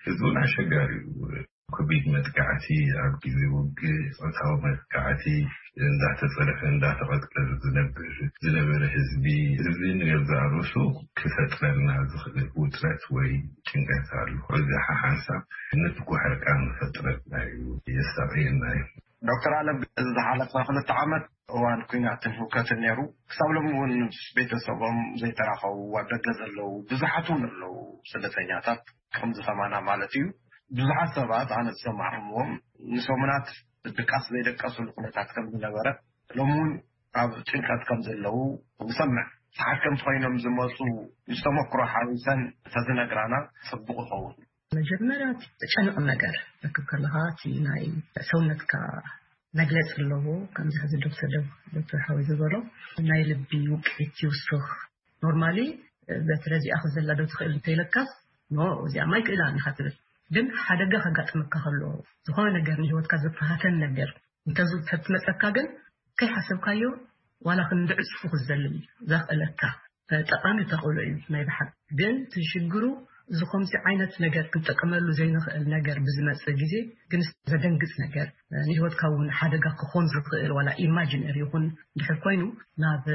እዚ እውን ኣሸጋሪ እዩ። ከቢድ መጥቃዕቲ ኣብ ግዜ ውግእ፣ ፆታዊ መጥቃዕቲ፣ እንዳተፀርፈ እንዳተቐጥቀዘ ዝነብር ዝነበረ ህዝቢ፣ እዚ ንገዛእ ርእሱ ክፈጥረልና ዝኽእል ውጥረት ወይ ጭንቀት ኣሎ። እዚ ሓሓንሳብ ንፍኩሕ ዕርቃን ክፈጥረልና እዩ፣ የሳቕየና እዩ። ዶክተር ኣለም፣ እዚ ዝሓለፈ ክልተ ዓመት እዋን ኩናትን ህውከትን ነይሩ። ክሳብ ሎሚ እውን ምስ ቤተሰቦም ዘይተራኸቡ ኣብ ደገ ዘለዉ ብዙሓት እውን ኣለዉ፣ ስደተኛታት ከምዚ ከማና ማለት እዩ። ብዙሓት ሰባት ኣነ ዝሰማዕኩምዎም ንሰሙናት ድቃስ ዘይደቀስሉ ኩነታት ከም ዝነበረ፣ ሎሚ እውን ኣብ ጭንቀት ከም ዘለዉ ንሰምዕ። ተሓከምቲ ኮይኖም ዝመፁ ምስ ተመክሮ ሓዊሰን ተዝነግራና ፅቡቕ ይኸውን። መጀመርያ ተጨንቕ ነገር ረክብ ከለኻ እቲ ናይ ሰውነትካ መግለፂ ኣለዎ። ከምዚ ሕዚ ዶክተር ዶ- ዶክተር ሓወይ ዝበሎ ናይ ልቢ ውቅዒት ይውስኽ። ኖርማሊ በትረ እዚኣ ክዘላ ዶ ትኽእል እንተይለካስ ኖ እዚኣ ማይ ክእላ ኣለካ ትብል። ግን ሓደጋ ከጋጥመካ ከሎ ዝኾነ ነገር ንህይወትካ ዝፈታተን ነገር እንተዝተትመፀካ ግን ከይሓሰብካዮ ዋላ ክንዲ ዕፅፉ ክዘልል እዩ ዘኽእለካ። ጠቃሚ ተኽእሎ እዩ ናይ ብሓቂ። ግን እቲ ሽግሩ እዚ ከምዚ ዓይነት ነገር ክንጠቀመሉ ዘይንኽእል ነገር ብዝመፅእ ግዜ ግን ዘደንግፅ ነገር ንህይወትካ እውን ሓደጋ ክኾን ዝኽእል ዋላ ኢማጂነር ይኹን ድሕር ኮይኑ ናብ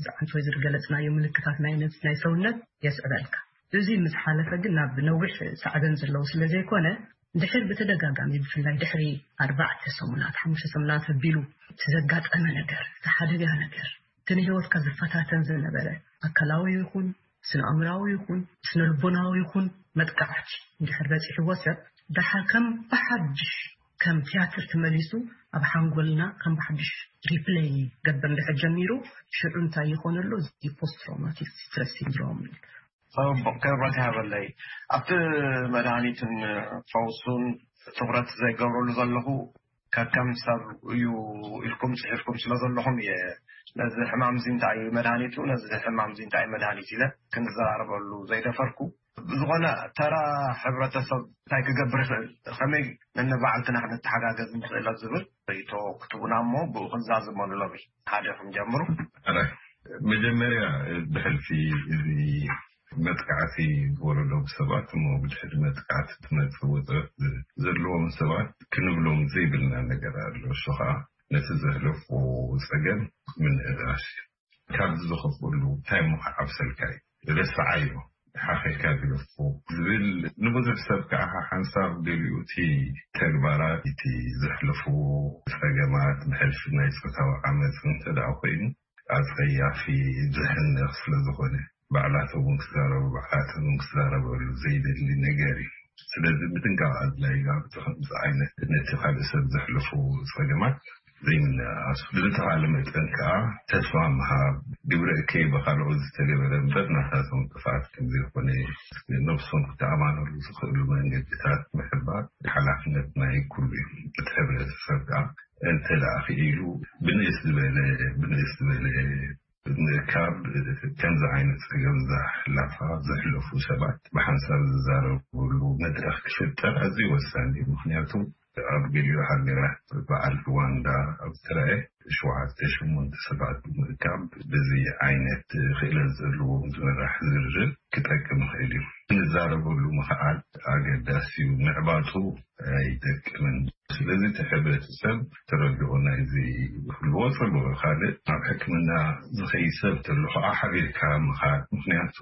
ዝዓንት ወይ ዝገለፅናዮ ምልክታት ናይ ነብስ ናይ ሰውነት የስዕበልካ። እዚ ምስ ሓለፈ ግን ናብ ነዊሕ ሳዕበን ዘለዉ ስለ ዘይኮነ ድሕር ብተደጋጋሚ ብፍላይ ድሕሪ ኣርባዕተ ሰሙናት ሓሙሽተ ሰሙናት ኣቢሉ እቲ ዘጋጠመ ነገር እቲ ሓደጋ ነገር እቲ ንህይወትካ ዝፈታተን ዝነበረ ኣካላዊ ይኹን ስነ ኣእምራዊ ይኹን ስነ ልቦናዊ ይኹን መጥቃዕቲ እንድሕር በፂሕዎ ሰብ፣ ደሓር ከም ብሓድሽ ከም ቲያትር ተመሊሱ ኣብ ሓንጎልና ከም ብሓድሽ ሪፕለይ ገበር እንድሕር ጀሚሩ፣ ሽዑ እንታይ ይኾነሉ? እዚ ፖስት ትራውማቲክ ስትረስ ሲንድሮም ይበሃል። ጽቡቕ፣ ክብረት ይሃበለይ። ኣብቲ መድሃኒትን ፈውሱን ትኹረት ዘይገብረሉ ዘለኹ ከከም ሰብ እዩ ኢልኩም ጽሒፍኩም ስለ ዘለኹም እየ ነዚ ሕማም እዚ እንታይ እዩ መድሃኒቱ፣ ነዚ ሕማም እዚ እንታይ እዩ መድሃኒት ኢለ ክንዘራረበሉ ዘይደፈርኩ። ብዝኾነ፣ ተራ ሕብረተሰብ እንታይ ክገብር ይኽእል፣ ከመይ ነንባዕልትና ክንተሓጋገዝ ንኽእል ኣብ ዝብል ርእይቶ ክትቡና እሞ ብኡ ክንዛዝመሉ ሎሚ ሓደ ክንጀምሩ። መጀመርያ፣ ብሕልፊ እዚ መጥቃዕቲ ዝወረዶም ሰባት እሞ ብድሕሪ መጥቃዕቲ ትመፅእ ወፅረት ዘለዎም ሰባት ክንብሎም ዘይብልና ነገር ኣሎ። እሱ ከዓ ነቲ ዘሕለፍዎ ፀገም ምንእራሽ፣ ካብዚ ዝኸፍእሉ እንታይ እሞ ክዓብሰልካ እዩ፣ ረስዓዮ፣ ሓኺልካ ግደፎ ዝብል ንብዙሕ ሰብ ከዓ ሓንሳብ ገሊኡ እቲ ተግባራት፣ እቲ ዘሕለፍዎ ፀገማት፣ ብሕልፊ ናይ ፆታዊ ዓመፅ እንተ ደኣ ኮይኑ ኣፀያፊ፣ ዘሕንኽ ስለ ዝኾነ ባዕላቶም እውን ክዛረቡ፣ ባዕላቶም እውን ክዛረበሉ ዘይደሊ ነገር እዩ። ስለዚ ምጥንቃቕ ኣድላይ እዩ። ኣብቲ ከምዚ ዓይነት ነቲ ካልእ ሰብ ዘሕልፉ ፀገማት ዘይምንእኣሱ፣ ብዝተኻለ መጠን ከዓ ተስፋ ምሃብ፣ ግብረ እከይ ብኻልኦት ዝተገበረ እምበር ናታቶም ጥፍኣት ከም ዘይኮነ ነብሶም ክተኣማነሉ ዝኽእሉ መንገድታት ምሕባር ሓላፍነት ናይ ኩሉ እዩ። እቲ ሕብረተሰብ ከዓ እንተ ደኣ ክኢሉ ብንእስ ዝበለ ብንእስ ዝበለ ምእካብ፣ ከምዚ ዓይነት ጸገም ዘሕላፋ ዘሕለፉ ሰባት ብሓንሳብ ዝዛረብሉ መድረኽ ክፍጠር ኣዝዩ ወሳኒ እዩ። ምኽንያቱ ኣብ ገሊኡ ሃገራት በዓል ሩዋንዳ ኣብ ዝተረኣየ ሸውዓተ ሸሞንተ ሰባት ብምእካብ በዚ ዓይነት ክእለት ዘለዎም ዝመራሕ ዝርርብ ክጠቅም ይኽእል እዩ። ክንዛረበሉ ምኽኣል ኣገዳሲ እዩ። ምዕባጡ ኣይጠቅምን። ስለዚ እቲ ሕብረተሰብ ተረድኦ ናይዚ ክህልዎ ጽቡቕ። ካልእ ናብ ሕክምና ዝኸይድ ሰብ ተሎ ከዓ ሓቢርካ ምኻድ። ምኽንያቱ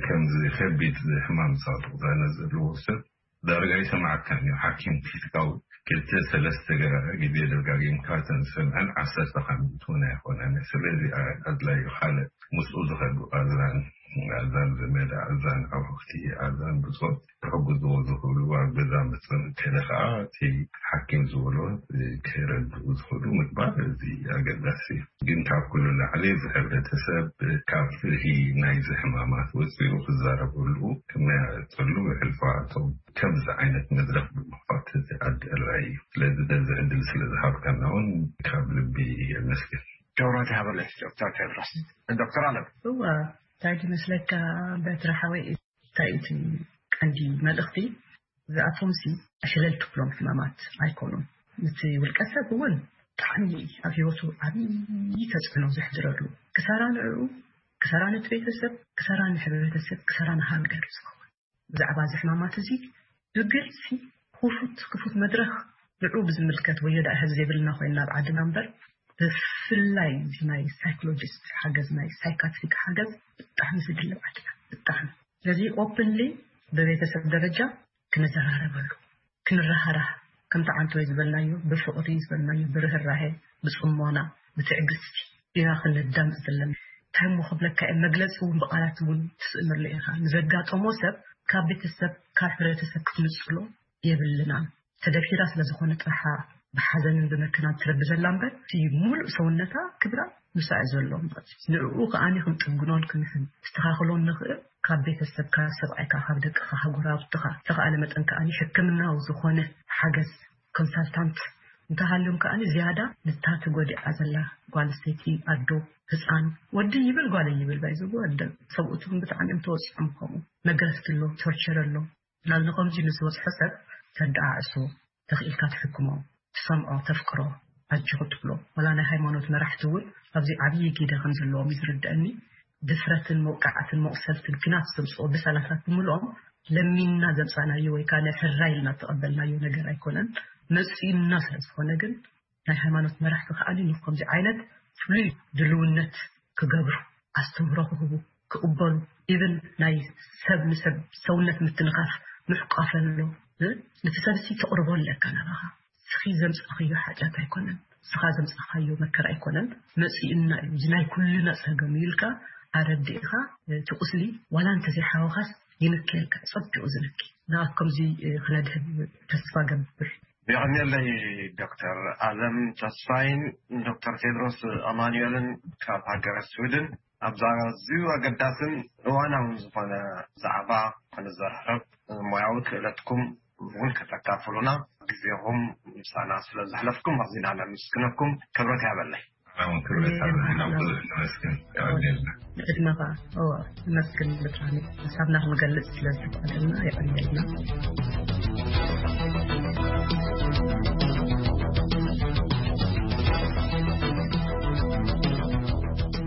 ከምዚ ከቢድ ሕማም ሳጡቕዛነ ዘለዎ ሰብ ዳርጋ ይሰማዓካን እዩ። ሓኪም ፊዚካዊ ክልተ ሰለስተ ገ- ግዜ ደጋጊምካ ተንሰምዐን ዓሰርተ ካብ ሚእቲ እውን ኣይኮነን። ስለዚ ኣድላይ እዩ። ካልእ ምስኡ ዝኸዱ ኣዛን ኣዛን ዘመድ ኣዛን ኣውሕቲ ኣዛን ብጾት ክሕግዝዎ ዝኽእሉ ኣብ ገዛ መጸን ከደ ከዓ እቲ ሓኪም ዝበሎ ክረድኡ ዝኽእሉ ምግባር እዚ ኣገዳሲ እዩ። ግን ካብ ኩሉ ላዕሊ እዚ ሕብረተሰብ ካብ ፍርሂ ናይዚ ሕማማት ወፂኡ ክዛረበሉ ክመያየጠሉ ብሕልፋቶም ከምዚ ዓይነት መድረኽ ብምኽፋት እቲ ኣድላይ እዩ። ስለዚ በዚ ዕድል ስለ ዝሃብካና እውን ካብ ልቢ የመስግን። ክብረት ይሃበለይ ዶክተር ቴድሮስ። ዶክተር ኣለም። እዋ እንታይ ይመስለካ በትሪ ሓወይ፣ እንታይ እቲ ቀንዲ መልእኽቲ? እዚኣቶም ሲ ዕሽለል ትብሎም ሕማማት ኣይኮኑን። ነቲ ውልቀ ሰብ እውን ብጣዕሚ ኣብ ህይወቱ ዓብዪ ተፅዕኖ ዘሕድረሉ፣ ክሳራ ንዕኡ፣ ክሳራ ነቲ ቤተሰብ፣ ክሳራ ንሕብረተሰብ፣ ክሳራ ንሃገር እዩ ዝኸውን። ብዛዕባ እዚ ሕማማት እዚ ብግልፂ ክፉት ክፉት መድረኽ ንዕኡ ብዝምልከት ወዮ ደኣ ሕዚ ዘይብልና ኮይንና ኣብ ዓድና እምበር፣ ብፍላይ እዚ ናይ ሳይኮሎጂስት ሓገዝ፣ ናይ ሳይካትሪክ ሓገዝ ብጣዕሚ ዝድለ ኣብ ዓድና፣ ብጣዕሚ። ስለዚ ኦፕንሊ ብቤተሰብ ደረጃ ክንዘራረበሉ፣ ክንረሃራህ፣ ከምቲ ዓንተወይ ዝበልናዮ ብፍቕሪ ዝበልናዮ ብርህራሄ፣ ብፅሞና፣ ብትዕግስቲ ኢና ክንዳምፅ ዘለና። እንታይ እሞ ክብለካ እየ፣ መግለፂ እውን ብቓላት እውን ትስእነሉ ኢኻ። ንዘጋጠሞ ሰብ ካብ ቤተሰብ ካብ ሕብረተሰብ ክትንፅሎ የብልናን። ተደፊራ ስለ ዝኾነ ጥራሓ ብሓዘንን ብመከናን ትረቢ ዘላ እምበር እቲ ሙሉእ ሰውነታ ክብራ ምሳእ ዘሎ ማለት እዩ። ንዕኡ ከኣኒ ክንጥግኖን ክንሕን ክስተኻኽሎን ንኽእል ካብ ቤተሰብካ፣ ሰብኣይካ፣ ካብ ደቅኻ፣ ካብ ጎረባብትኻ፣ ዝተኻእለ መጠን ከኣኒ ሕክምናዊ ዝኾነ ሓገዝ ኮንሳልታንት እንተሃልዮም ከኣኒ ዝያዳ ንታ ተጎዲዓ ዘላ ጓል ኣንስተይቲ፣ ኣዶ፣ ህፃን፣ ወዲ ይብል ጓል ይብል ባይዘቡ ኣደ ሰብኡት እውን ብጣዕሚ እዮም ተወፂዖም። ከምኡ መገረፍቲ ኣሎ፣ ቶርቸር ኣሎ። ናብ ንኸምዚ ንዝበፅሖ ሰብ ተደዓዕሶ፣ ተኽኢልካ ትሕክሞ፣ ትሰምዖ፣ ተፍቅሮ፣ ኣጆኹ ትብሎ። ወላ ናይ ሃይማኖት መራሕቲ እውን ኣብዚ ዓብዪ ግደ ከም ዘለዎም እዩ ዝርድአኒ። ድፍረትን መውቃዕትን መቑሰልትን ኪናት ዘምፅኦ ብሰላታት ብምልኦም ለሚንና ዘምፃናዮ ወይ ከዓ ናይ ሕራይ ኢልና እተቐበልናዮ ነገር ኣይኮነን። መፂኡና ስለ ዝኾነ ግን ናይ ሃይማኖት መራሕቲ ከኣኒ ንከምዚ ዓይነት ፍሉይ ድልውነት ክገብሩ፣ ኣስተምህሮ ክህቡ፣ ክቕበሉ፣ ኢቭን ናይ ሰብ ንሰብ ሰውነት ምትንኻፍ፣ ምሕቋፍ ኣሎ። እ? ነቲ ሰብሲ ተቕርቦ ኣለካ ናባኻ። ንስኺ ዘምጻእኽዮ ሓጢኣት ኣይኮነን፣ ንስኻ ዘምጻእኻዮ መከራ ኣይኮነን፣ መጺኡና እዩ፣ እዚ ናይ ኩልና ጸገም እዩ ኢልካ ኣረዲእኻ እቲ ቁስሊ ዋላ እንተዘይሓወኻስ ይንክየካ፣ ጸቢቑ ዝንኪ። ንኣብ ከምዚ ክነድህብ ተስፋ ገብር። የቐንየለይ ዶክተር ኣለም ተስፋይን ዶክተር ቴድሮስ ኣማኑኤልን ካብ ሃገረ ስዊድን ኣብዛ ኣዝዩ ኣገዳስን እዋናውን ዝኾነ ዛዕባ ክንዘራረብ ሞያዊ ክእለትኩም እውን ከተካፍሉና ግዜኹም ምሳና ስለ ዘሕለፍኩም ኣዚና ነመስግነኩም። ክብረት ያበለይ። ንዕድመኻ ነመስግን ብጣዕሚ ሓሳብና ክንገልጽ ስለ ዝተፈቐደልና የቐንየልና።